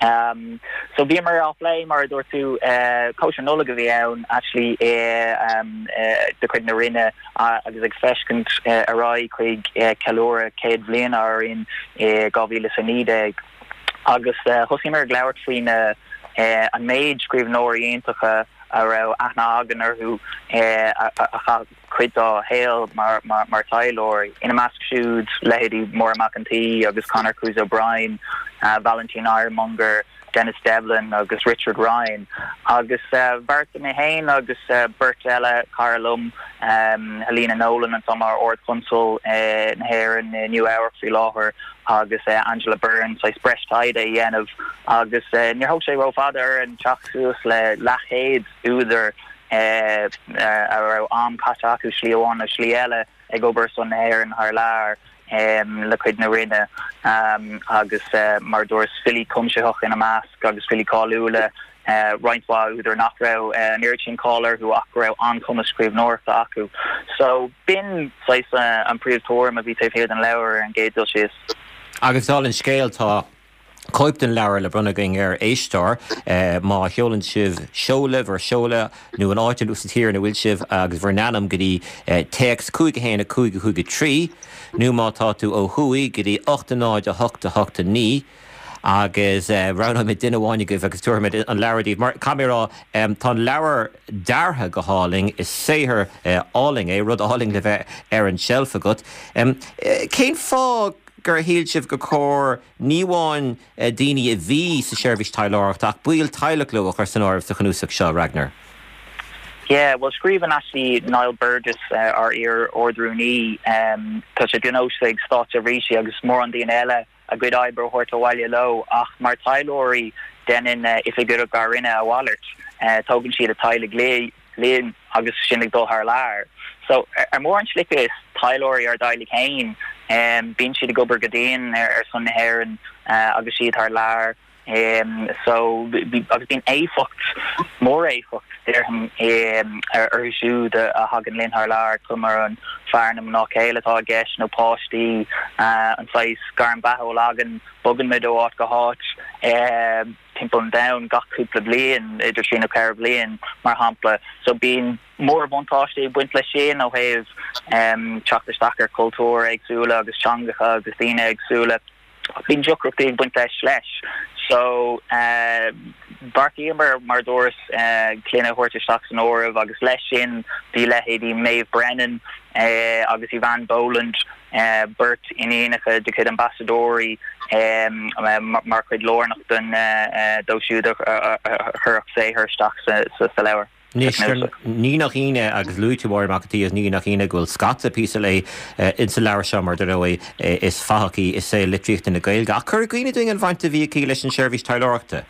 Um, so bhíomar á phlé mar a dúirt tú uh, cóisir Nollag a bhí ann actually uh, um, uh, de chuid na Roinne uh, agus ag féachaint uh, ar aghaidh chuig uh, ceiliúradh céad bliain ár Roinn uh, dhá mhíle is a naoi déag. Agus uh, thosaíomar ag labhairt faoin uh, uh, an méid scríbhneoirí iontacha a raibh aithne againn orthu uh, a, a, a chaith cuid dá shaol mar, mar, mar taidhleoirí. Ina measc siúd leithéidí Máire Mac an tSaoi agus Conor Cruise O'Brien, uh, Valentine Ironmonger, Denis Devlin agus Richard Ryan. Agus uh, bheartaigh mé féin agus uh, beirt eile cara liom um, Helena Nolan an mar Ard-Chonsal uh, na hÉireann uh, Nua-Eabhrac faoi láthair agus uh, Angela Byrne saghas breis taighde a dhéanamh agus uh, níor thóg sé rófhada orainn teacht suas le leathchéad údar uh, uh, a raibh am caite acu slí amháin nó slí eile ag obair son na hÉireann thar lear um, le cuid na Roinne um, agus uh, mar dúirt filí cuimsitheach ina measc agus filí cáiliúla uh, roinnt mhaith údar nach raibh uh, an oiread sin cáil orthu ach raibh an-chumas scríbhneoireachta acu. So b'in saghas uh, an príomhthuairim a bhí taobh thiar den leabhar ar an gcéad dul síos. Agus dála an scéil tá cóip den leabhar le bronnadh againn ar éisteoir eh, má sheolann sibh seoladh bhur seoladh nó an áit sa tír ina bhfuil sibh agus bhur n-ainm go dtí eh, téacs cúig a haon a cúig a cúig a trí nó má tá tú ó thuaidh go dtí ocht a náid a hocht a hocht a naoi agus eh, roghnóimid duine amháin agaibh agus tabharfaimid an leabhar daoibh. Mar caithfidh mé a rá um, tá an leabhar deartha go hálainn is saothar eh, álainn é rud álainn le bheith ar an tseilf agat. Um, eh, cén fáth gur shíl sibh gur chóir ní amháin eh, daoine a bhí sa seirbhís taidhleoireachta ach baill teaghlach leo a chur san áireamh sa chnuasach seo Ragnar. Yeah, well scríobhann actually Niall Burgess uh, ár iar-Ard-Rúnaí um, tá sé de nós ag státseirbhísigh agus mórán daoine eile a gcuid oibre a thabhairt abhaile leo ach mar taidhleoirí déanann uh, oifigigh ár Roinne a mhalairt uh, tógann siad a dteaghlaigh leo linn agus sinn ag dul thar lear. So ar mórán slite is taidhleoirí ár dteaghlaigh féin um, bíonn siad ag obair go dian ar, ar son na hÉireann uh, agus siad thar lear. Um, so agus bíonn éifeacht mór éifeacht déarfainn um, ar orthu siúd a, a thagann linn thar lear cuma an fear nó mná céile atá i gceist nó páistí uh, an saghas gairm beatha againn bogann muid ó áit go háit uh, timpeall an domhain gach cúpla bliain idir trí nó ceithre bliain mar shampla so bíonn mórbhuntáistí ag baint leis sin ó thaobh um, teacht isteach ar cultúir éagsúla agus teangacha agus daoine éagsúla bíonn deacrachtaí ag baint leis leis. So uh, bheartaíomar mar dúirt uh, clainne a thabhairt isteach san áireamh agus leis sin bhí leithéidí Maeve Brennan uh, agus Eavan Boland uh, beirt iníonacha de chuid ambasadóirí um, mar chuid lárnach den uh, dóibh siúd a chuir saothar isteach sa, sa, sa leabhar. Ní nach ionadh agus luaigh tú Máire Mac an tSaoi ní nach ionadh go bhfuil scata píosa léi insa leabhar seo mar dar ndóigh is fathach í i saol litríochta na Gaeilge. Ach cuir i gcuimhne dúinn an bhaint a bhí aici leis an seirbhís taidhleoireachta.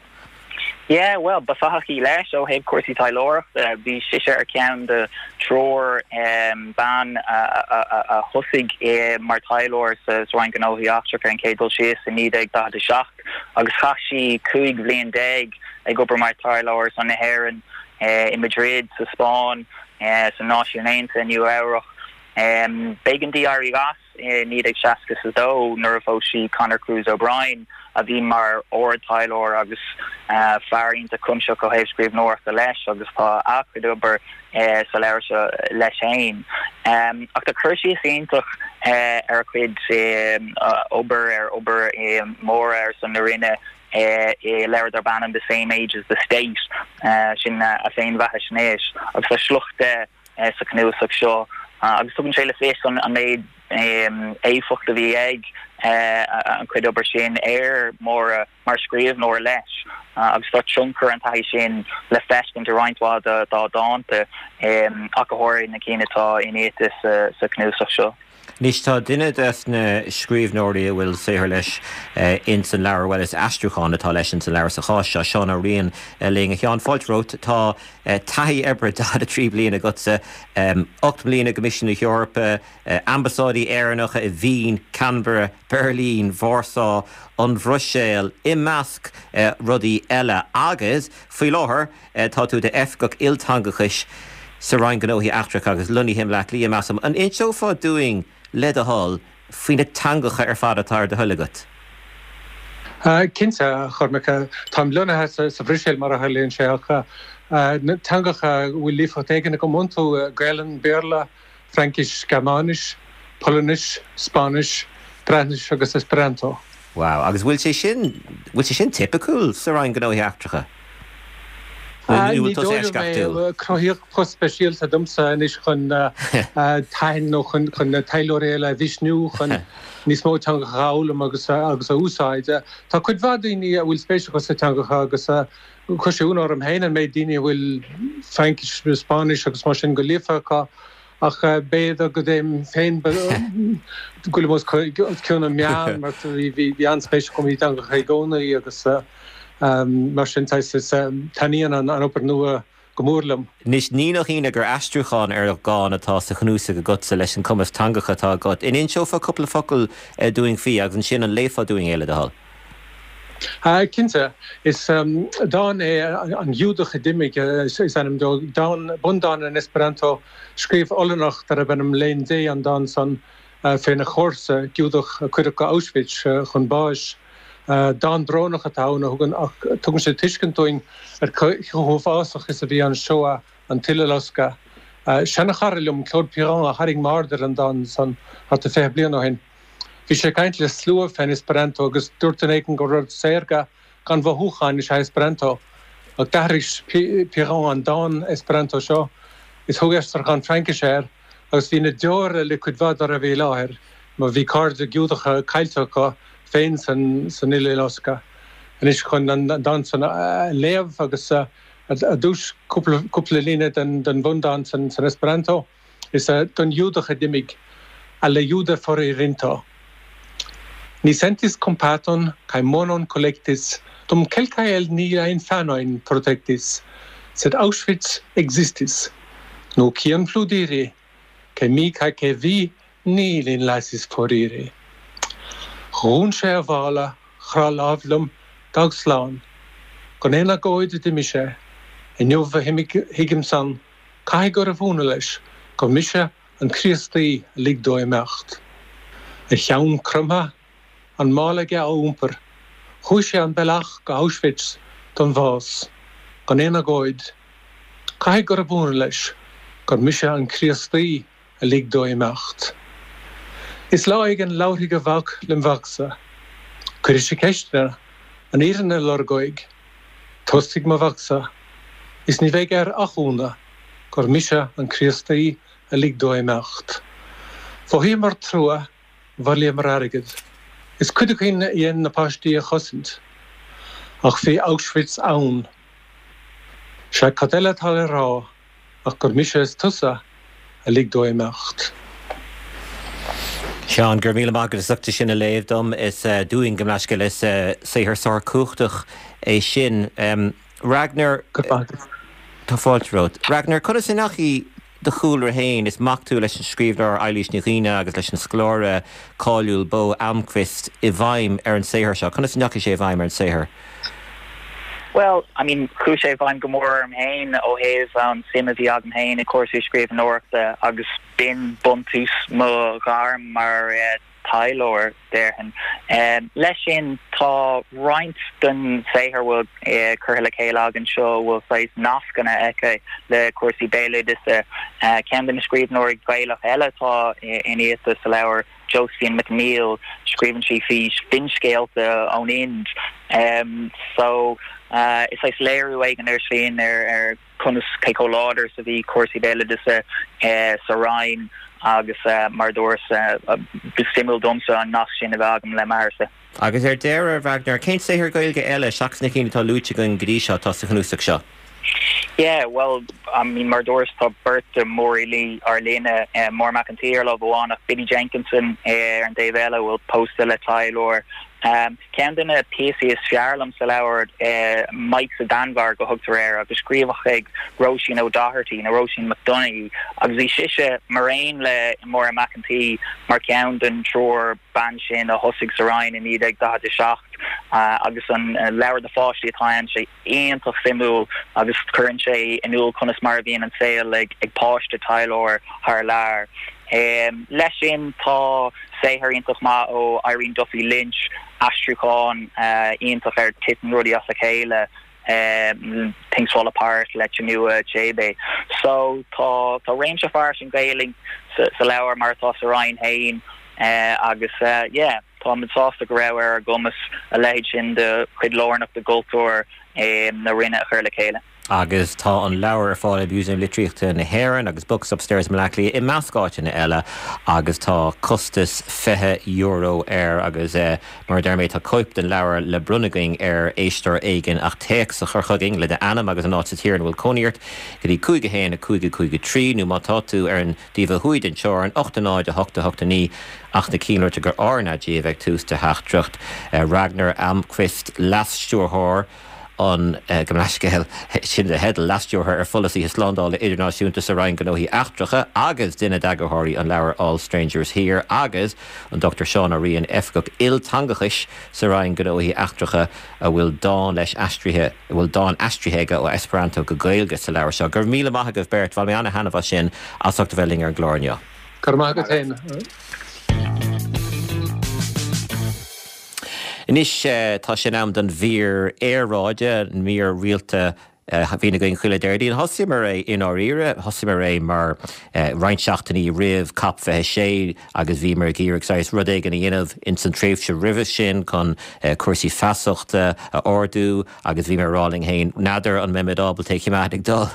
Yeah, well, ba fathach í leis ó thaobh cúrsaí taidhleoireachta, bhí sise ar ceann de triúr um, ban a, a, a, a thosaigh eh, mar taidhleoir sa Roinn Gnóthaí Eachtracha ar an gcéad dul síos i naoi déag daichead a seacht agus chaith sí cúig bhliain déag ag obair mar taidhleoir son na hÉireann eh, in Madrid sa Spáinn eh, sa Náisiún Aontaithe Nua-Eabhrac. Um, B'éigean di éirí as eh, naoi déag seasca a dó nuair a phós sí Conor Cruise O'Brien a bhí mar ard-taidhleoir agus uh, fear iontach cuimsitheach ó thaobh scríbhneoireachta leis agus tá a chuid obair uh, sa leabhar seo leis féin. Um, ach tá cur síos iontach uh, ar a cuid um, uh, obair ar obair um, mór ar son na Roinne uh, i leabhar darb ainm The Same Age as the State uh, sin uh, a féinbheathaisnéis agus tá sliocht uh, sa chnuasach seo uh, agus tugann sé le fios an an méid um, éifeacht a bhí ag an chuid obair sin ar Mháire mar scríbhneoir leis agus tá tionchar an taithí sin le feiscint i roinnt mhaith dá dánta ach go háirithe na cinn atá iniata sa chnuasach seo. Anois tá duine des na scríbhneoirí a bhfuil saothar leis ins an leabhar, bhuel is aistriúchán atá leis ins an leabhar sa chás seo, Seán Ó Riain linn. A Sheáin, fáilte romhat. Tá taithí oibre daichead a trí bliain agatsa, ocht mbliana i gCoimisiún na hEorpa, ambasáidí Éireannacha i Vín, Canberra, Beirlín, Vársá, an Bhruiséil, i measc rudaí eile agus faoi láthair tá tú i d'oifigeach ilteangachais sa Roinn Gnóthaí Eachtracha agus lonnaithe i mBleá Cliath, measaim. An inseofá dúinn, le do thoil, faoi na teangacha ar fad atá ar do thoil agat? Cinnte, a Chormaic. Táim lonnaithe sa Bhruiséil mar a tharlaíonn sé ach na teangacha a bhfuil líofacht éigin agam iontu, Gaelainn, Béarla, Fraincis, Gearmáinis, Polainnis, Spáinnis, Breatnais agus Esperanto. Wow, agus bhfuil sé sin, bhfuil sé sin tipiciúil sa Roinn Gnóthaí Eachtracha? Ní dóigh liom é. Cruthaíodh post speisialta domsa anois chun taithin nó chun na taidhleoirí eile a mhisniú chun níos mó teangacha a fhoghlaim agus agus a úsáid. Tá cuid mhaith daoine a bhfuil spéis acu sna teangacha agus chuir sé ionadh orm féin an méid daoine a bhfuil Fraincis, Spáinnis agus mar sin go líofa acu ach b'fhéidir go dtéim féin go bhfuilim os cionn an meán mar bhí an-spéis agam i dteangacha i gcónaí agus Mar sin, taitníonn an obair nua go mór liom. Anois, ní nach ionadh gur aistriúchán ar dhán atá sa chnuasach agatsa leis an cumas teangacha atá agat. An inseofá cúpla focal dúinn faoi agus ansin an léifeá dúinn é le do thoil? Cinnte. Is dán é An Giúdach a D'imigh is ainm dó. Dán, bundán in Esperanto. Scríobh Ollannach darb ainm Leen Dé an dán san féna chomharsa, Giúdach a cuireadh go Auschwitz chun báis. Dán brónach atá ann a thugann ach tugann sé tuiscint dúinn ar chomh huafásach is a bhí an Shoah, an tUileloscadh. Seanachara liom, Claude Piron, a tharraing m'aird ar an dán san thart ar fiche bliain ó shin. Bhí sé ag caint le slua fén Esperanto agus dúirt duine éigin gur rud saorga gan mhothúcháin is ea Esperanto. Ach d'athraigh Piron an dán Esperanto seo is thug aistriúchán Fraincise air agus bhí na deora le cuid mhaith dá raibh i láthair mar bhí cairde Giúdacha caillte acu féin san Uileloscadh. Anois chun an dán san a léamh agus ar dtús cúpla líne den bhundán san Esperanto, is don Ghiúdach a d'imigh, Al la juda foririnto. Ni sentis kompaton kaj monon kolektis, dum kelkaj el niaj infanojn protektis, sed Auschwitz ekzistis. Nu kion plu diri, ke mi kaj ke vi ni lin lasis foriri. Dhún sé a mhála, chroith lámh liom, d'fhág slán. Gan aon agóid a d'imigh sé. Inniu a thuigim san, caithfidh gurbh ionadh leis gur mise an Críostaí a lig dó imeacht. A cheann cromtha, an mála aige á iompar, chuaigh sé an bealach go Auschwitz don bhás, gan aon agóid. Caithfidh gurbh ionadh leis gur mise an Críostaí a lig dó imeacht. Is lá éigin labharfaidh a mhac lem mhacsa. Cuirfidh sé ceist air, an fhírinne a lorg uaidh. Tostfaidh mo mhacsa, is ní bheidh air ach ionadh gur mise an Críostaí a lig dó imeacht. Mhothaíomar trua, bhailíomar airgead. Is cuid againn a dhein na páistí a chosaint. Ach bhí Auschwitz ann. Sea, cad eile atá le rá ach gur mise is tusa a lig dó imeacht. Seán, go raibh míle maith agat as ucht é sin a léamh dom. Is dúinn, gabh mo leithscéal, is saothar sárchumhachtach é sin. Ragnar, tá fáilte romhat. Ragnar, conas a ndeachaigh do chúlra féin, is mac tú leis an scríbhneoir Eilís Ní Dhuibhne agus leis an scoláire cáiliúil Bo Almqvist, i bhfeidhm ar an saothar seo? Conas a ndeachaigh sé i bhfeidhm ar an saothar? Bhuel, I mean, chuaigh sé i bhfeidhm go mór orm féin ó thaobh an suim a bhí agam féin i cúrsaí scríbhneoireachta agus b'in buntús mo ghairm mar taidhleoir, déarfainn. Leis sin, tá roinnt den saothar a bhfuil curtha le chéile againn seo a bhfuil saghas nascanna aici le cúrsaí béaloideasa. Ceann de na scríbhneoirí Gaelach eile atá iniata sa leabhar, Josephine MacNeill, scríobhann sí faoi finscéalta ón Ind. So, is saghas léiriú éigin air sin ar conas cé chomh láidir is a bhí cúrsaí béaloideasa sa Roinn agus mar a dúras ba suimiúil domsa an nasc sin a bheith agam le m'athairse. Agus ar deireadh, Ragnar, cén saothar Gaeilge eile seachas na cinn atá luaite againn go dtí seo atá sa chnuasach seo? Yeah, well, I mean, mar a dúras tá beirt de mhórfhilí ár linne, Máire Mac an tSaoi ar lámh amháin ach Biddy Jenkinson ar an dtaobh eile a bhfuil pósta le taidhleoir. Ceann de na píosaí is fearr liom sa leabhar, Mike sa Danmhairg a thugtar air agus scríofa ag Róisín O'Doherty nó Róisín McDonagh agus bhí sise, mar aon le Máire Mac an tSaoi, mar cheann den triúr ban sin a thosaigh sa Roinn i naoi déag daichead a seacht agus an leabhar do pháistí atá ann, sé iontach suimiúil agus cuireann sé in iúl conas mar a bhíonn an saol ag páiste taidhleoir thar lear. Leis sin tá saothar iontach maith ó Irene Duffy Lynch, aistriúchán iontach ar Titeann Rudaí as a Chéile, Things Fall Apart le Chinua Achebe. So tá tá réimse fairsing Gaeilge sa leabhar mar atá sa Roinn féin agus yeah táimid sásta go raibh ar ár gcumas a leithéid sin de chuid lárnach de chultúr na Roinne a chur le chéile. Agus tá an leabhar ar fáil i Músaem Litríochta na hÉireann agus Books Upstairs i mBaile Átha Cliath i measc áiteanna eile agus tá costas fiche euro air agus mar a deir mé tá cóip den leabhar le bronnadh againn ar éisteoir éigin ach téacs a chur chugainn le d'ainm agus an áit sa tír ina bhfuil cónaí ort go dtí cúig a haon a cúig a cúig a trí nó má tá tú ar an dtaobh ó thuaidh den teorainn ocht a náid a hocht a hocht a naoi ach na cinnlirte gur RnaG a bheidh ag tús do theachtaireacht Ragnar Almqvist Leas-Stiúrthóir an gabh mo leithscéal, sin do theideal, Leas-Stiúrthóir ar Pholasaithe Slándála Idirnáisiúnta sa Roinn Gnóthaí Eachtracha agus duine d'eagarthóirí an leabhair All Strangers Here agus an Dochtúir Seán Ó Riain, Oifigeach Ilteangachais sa Roinn Gnóthaí Eachtracha a bhfuil dán leis aistrithe, a bhfuil dán aistrithe aige ó Esperanto go Gaeilge sa leabhar seo. Go raibh míle maith agaibh beirt, bhain mé ana-thaitneamh as sin, as ucht a bheith linn ar an gclár inniu. Go raibh maith agat féin. Anois tá sé in am don mhír aeráide, an mír rialta a bhíonn againn chuile Déardaoin. Thosaíomar é i ndáiríre, thosaíomar é mar roinnt seachtainí roimh Cop fiche a sé agus bhíomar ag iarraidh saghas rud éigin a dhéanamh ins an tréimhse roimhe sin chun cúrsaí feasachta a ardú agus bhíomar ag rá linn féin, n'fheadar an mbeimid ábalta é a choimeád ag dul,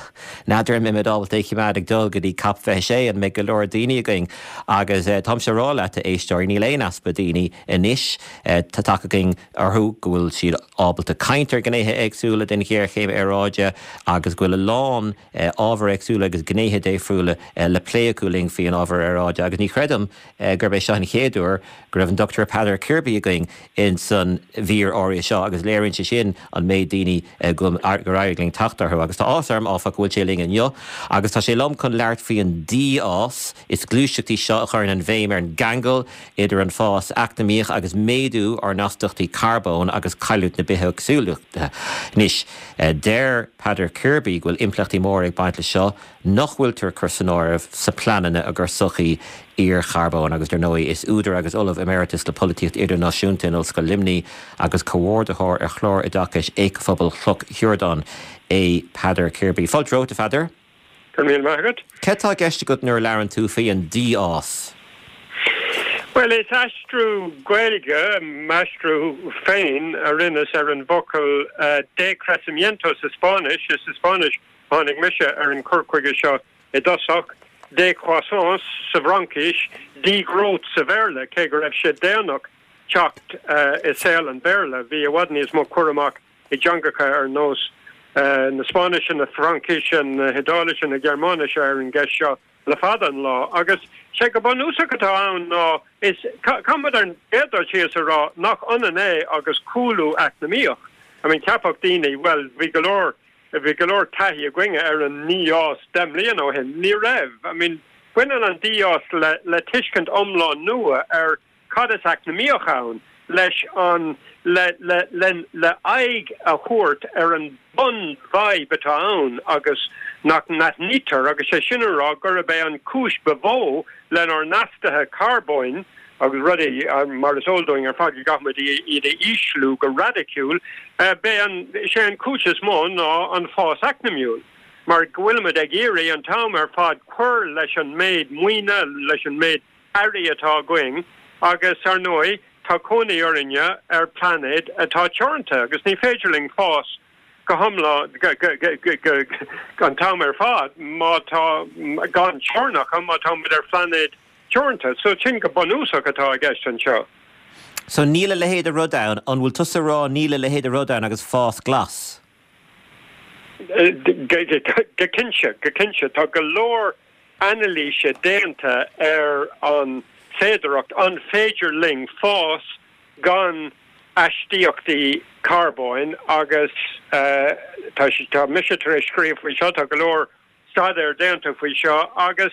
n'fheadar an mbeimid ábalta é a choimeád ag dul go dtí Cop fiche a sé, an mbeidh go leor daoine againn? Agus táimse ag rá leat, a éisteoirí, níl aon easpa daoine anois. Tá tagtha againn orthu go bhfuil siad ábalta caint ar ghnéithe éagsúla den ghéarchéim aeráide agus go bhfuil a lán ábhar éagsúla agus gnéithe difriúla le plé acu linn faoi an ábhar aeráide agus ní chreidim gurb é seo an chéad uair go raibh an Dochtúir Peadar Kirby againn ins an mhír áirithe seo agus léiríonn sé sin an méid daoine gur éirigh linn teacht orthu. Agus tá áthas orm, áfach, go bhfuil sé linn inniu agus tá sé liom chun labhairt faoi an dífhás. Is gluaiseacht í seo a chuireann an bhéim ar an gceangal idir an fás eacnamaíoch agus méadú ár n-astaíochtaí carbóin agus cailliúint na bithéagsúlachta. Anois, deir Peadar Kirby go bhfuil impleachtaí móra ag baint leis seo nach bhfuiltear ag cur san áireamh sa pleananna i gcomhair sochaí iarcharbóin agus dar ndóigh is údar agus Ollamh Emeritus le Polaitíocht Idirnáisiúnta in Ollscoil Luimnigh agus comhordaitheoir ar chlár oideachais Éiceaphobal Chloch Shiúrdáin é Peadar Kirby. Fáilte romhat, a Pheadair. Go raibh míle maith agat. Cad tá i gceist agat nuair a labhrann tú faoi an dífhás? Bhuel, is aistriú Gaeilge, m'aistriú féin, a rinneas ar an bhfocal decrecimiento sa Spáinnis. Is sa Spáinnis a tháinig mise ar an cur chuige seo i dtosach, décroissance sa bhFraincis, degrowth sa Bhéarla, cé go raibh sé déanach teacht i saol an Bhéarla, bhí i bhfad níos mó cur amach i dteangacha ar nós na Spáinnise, na Fraincise, na hIodáilise, na Gearmáinise ar an gceist seo le fada an lá. Agus sé go bunúsach atá ann ná is caithfidh muid ar an gcéad dul síos a rá nach ionann é agus cúlú eacnamaíoch. I mean cheapfadh daoine, bhuel bhí go leor, bhí go leor taithí againne ar an ndífhás deich mbliana ó shin. Ní raibh. I mean baineann an dífhás le le tuiscint iomlán nua ar cad is eacnamaíoch ann leis an le le le le aghaidh a thabhairt ar an bunfhadhb atá ann agus nach n-aithnítear agus sé sin a rá gurb é an chúis ba mhó lenár n-astuithe carbóin agus rudaí mar is eol dúinn ar fad go gcaithfimid iad a ísliú go raidiciúil, b'é an sé an chúis is mó ná an fás eacnamúil mar go bhfuilimid ag iarraidh an t-am ar fad cur leis an méid maoine, leis an méid earraí atá againn agus, ar ndóigh, tá cónaí orainne ar phlainéad atá teoranta agus ní féidir linn fás go hiomlán an t-am ar fad má tá gan teorainneacha má tá muid ar phláinéad teoranta. So sin go bunúsach atá i gceist anseo. So níl a leithéid de rud ann, an bhfuil tusa ag rá níl a leithéid de rud ann agus fás glas? Go cinnte, go cinnte tá go leor anailíse déanta ar an féidearthacht an féidir linn fás gan astaíochtaí carbóin agus tá tá mise tar éis scríobh faoi seo tá go leor staidéar déanta faoi seo agus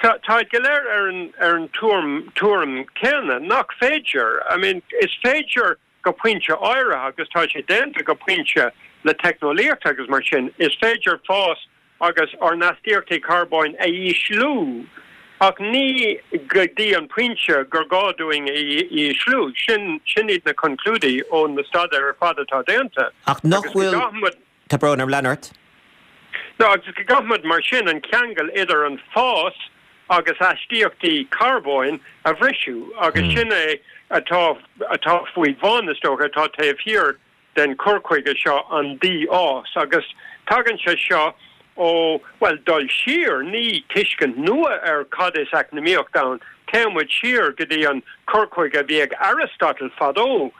tá tá go léir ar an ar an tuairim tuairim céanna nach féidir. I mean is féidir go pointe áirithe agus tá sé déanta go pointe le teicneolaíocht agus mar sin is féidir fás agus ár n-astaíochtaí carbóin a ísliú ach ní go dtí an pointe gur gá dúinn a ísliú. Sin sin iad na conclúidí ó na staidéir ar fad atá déanta. Ach nach bhfuil Tá brón orm lean ort? No agus go gcaithfimid mar sin an ceangal idir an fás agus astaíochtaí carbóin a bhriseadh agus sin é atá atá faoi bhun is dócha atá taobh thiar den cur chuige seo an dífhás agus tagann sé seo ó bhuel dul siar ní tuiscint nua ar cad is eacnamaíocht ann téann muid siar go dtí an cur chuige a bhí ag Aristotle fadó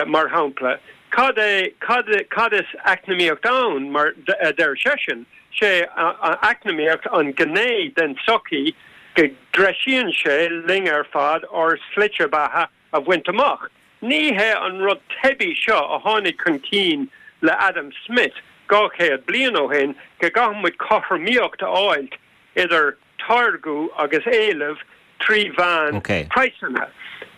mar shampla cad é cad cad is eacnamaíocht ann mar a deir seisean sé eacnamaíocht an gné den tsochaí go dtreisíonn sé linn ar fad ár slite beatha a bhaint amach. Ní hé an rud teibí seo a tháinig chun cinn le Adam Smith dhá chéad bliain ó shin go gcaithfidh muid cothromaíocht a fháilt idir táirgeadh agus éileamh trí mheán praghsanna.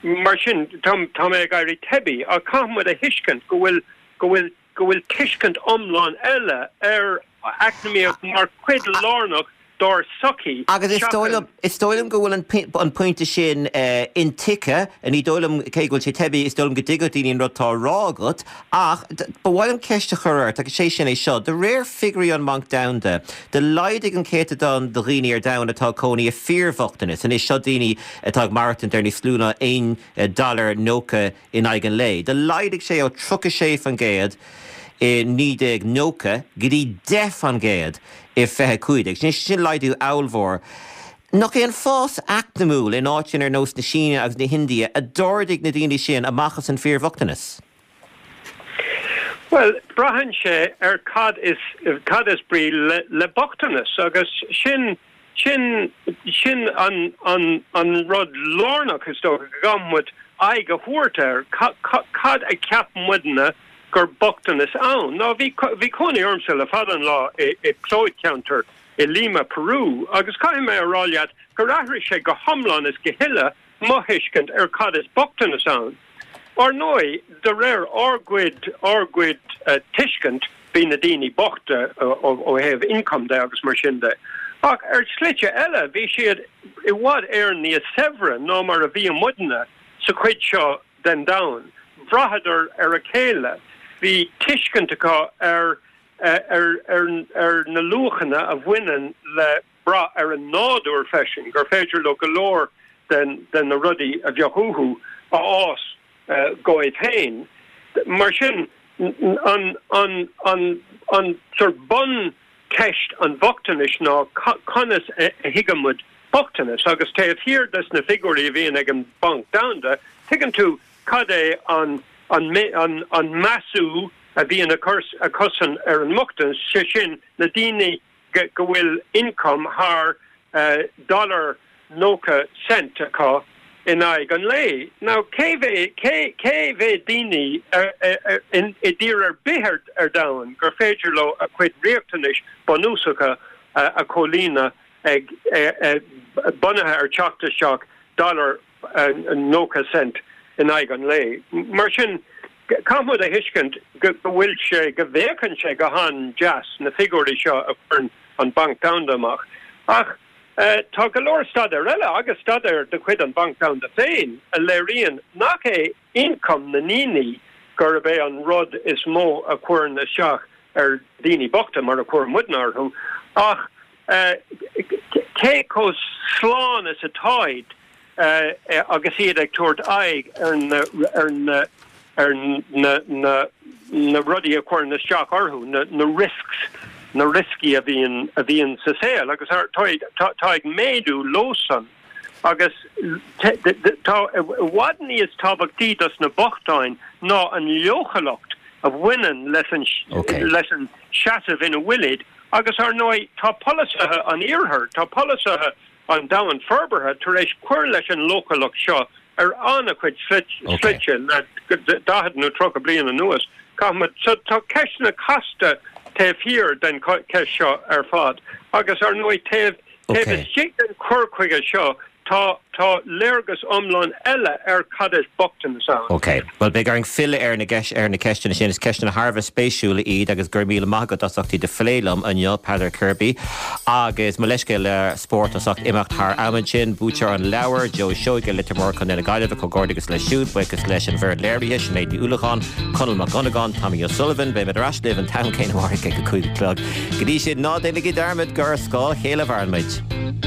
Mar sin, tá mé ag éirí teibí, ach caithfidh muid a thuiscint go bhfuil go bhfuil go bhfuil tuiscint iomlán eile ar eacnamaíocht mar chuid lárnach dár sochaí. Agus is dóigh liom, is dóigh liom go bhfuil an pointe sin intuigthe, ní dóigh liom, cé go bhfuil sé teibí, is dóigh liom go dtuigfeadh daoine an rud atá á rá agat, ach ba mhaith liom ceist a chur ort, agus sé sin é seo, de réir figiúirí an Bhanc Domhanda, do laghdaigh an céatadán de dhaoine ar domhan atá ag cónaí i fíorbhochtanas, anois seo daoine atá ag maireachtaint ar níos lú ná aon dollar nócha in aghaidh an lae, do laghdaigh sé ó tríocha sé faoin gcéad i naoi déag nócha go dtí deich faoin gcéad i fiche cúig déag. Sin sin laghdú ollmhór. Nach é an fás eacnamúil in áiteanna ar nós na Síne agus na hIndia a d'ardaigh na daoine sin amach as an fíorbhochtanas? Bhuel, braitheann sé ar cad is cad is brí le le bochtanas agus sin sin sin an an an rud lárnach is dócha go gcaithfidh muid aghaidh a thabhairt air, cad a cheap muidne gur bochtanas ann. Ná bhí bhí cónaí ormsa le fada an lá i i plódcheantar i Lima, Peru, agus caithfidh mé a rá leat gur athraigh sé go hiomlán is go huile mo thuiscint ar cad is bochtanas ann. Ar ndóigh, de réir ár gcuid ár gcuid tuiscint, bhí na daoine bochta ó thaobh income de agus mar sin de. Ach ar shlite eile, bhí siad i bhfad Éireann níos saibhre ná mar a bhí muidne sa chuid seo den domhan. Bhraitheadar ar a chéile, bhí tuiscint acu ar ar ar ar na luachanna a bhaineann le brath ar an nádúr freisin, gur féidir leo go leor den den na rudaí a bheadh uathu a fhás dóibh féin. Mar sin, an an an an sort buncheist an bhochtanais ná conas a thuigeann muid bochtanas agus taobh thiar des na figiúirí a bhíonn ag an Banc Domhanda, tuigeann tú cad é an an an an measú a bhíonn acusan ar an mbochtanas, sé sin na daoine go bhfuil income thar dollar nócha cent acu in aghaidh an lae. Now cé mhéad cé cé mhéad daoine i dtír ar bith ar ar domhan gur féidir leo a gcuid riachtanais bunúsacha a chomhlíonadh ag bunaithe ar teacht isteach dollar nócha cent in aghaidh an lae. Mar sin caithfidh muid a thuiscint go bhfuil sé go bhféachann sé go han-deas na figiúirí seo a chuireann an Banc Domhanda amach. Ach tá go leor staidéar eile agus staidéar de chuid an Bhanc Domhanda féin a léiríonn nach é ioncam na ndaoine gurb é an rud is mó a chuireann isteach ar dhaoine bochta mar a chuir muidne orthu ach cé chomh slán is atáid agus iad ag tabhairt aghaidh ar na ar na ar na na na rudaí a chuireann isteach orthu, na na risks, na rioscaí a bhíonn a bhíonn sa saol agus tá tá ag méadú leosan agus tá i bhfad níos tábhachtaí dos na bochtáin ná an leochaileacht a bhaineann leis an leis an seasamh ina bhfuilid agus ar ndóigh tá polasaithe an iarthair, tá polasaithe an domhain forbartha tar éis cur leis an leochaileacht seo ar an-chuid slite le daichead nó tríocha bliain anuas. Caithfimid, so tá ceisteanna casta taobh thiar den cheist seo ar fad agus ar ndóigh taobh taobh istigh den chur chuige seo tá tá léargas iomlán eile ar cad is bochtanas ann. Ok. Bhuel beidh orainn filleadh ar na ar na ceisteanna sin. Is ceisteanna thar a bheith spéisiúla iad agus go raibh míle maith agat as ucht iad a phlé liom inniu, Peadar Kirby. Agus mo leithscéal le spórt as ucht imeacht thar am ansin, buaiteoir an leabhair, Joe Seoige, Leitir Móir, Contae na Gaillimhe, comhghairdeas leis siúd, buíochas leis an bhfoireann léirithe, Sinéad Ní Uallacháin, Conall Mac Dhonnagáin, Tommy O'Sullivan, beimid ar ais libh an t-am céanna amárach ag a cúig a chlog. Go dtí sin, ná déanaigí dearmad gur ar scáth a chéile a mhaireann muid.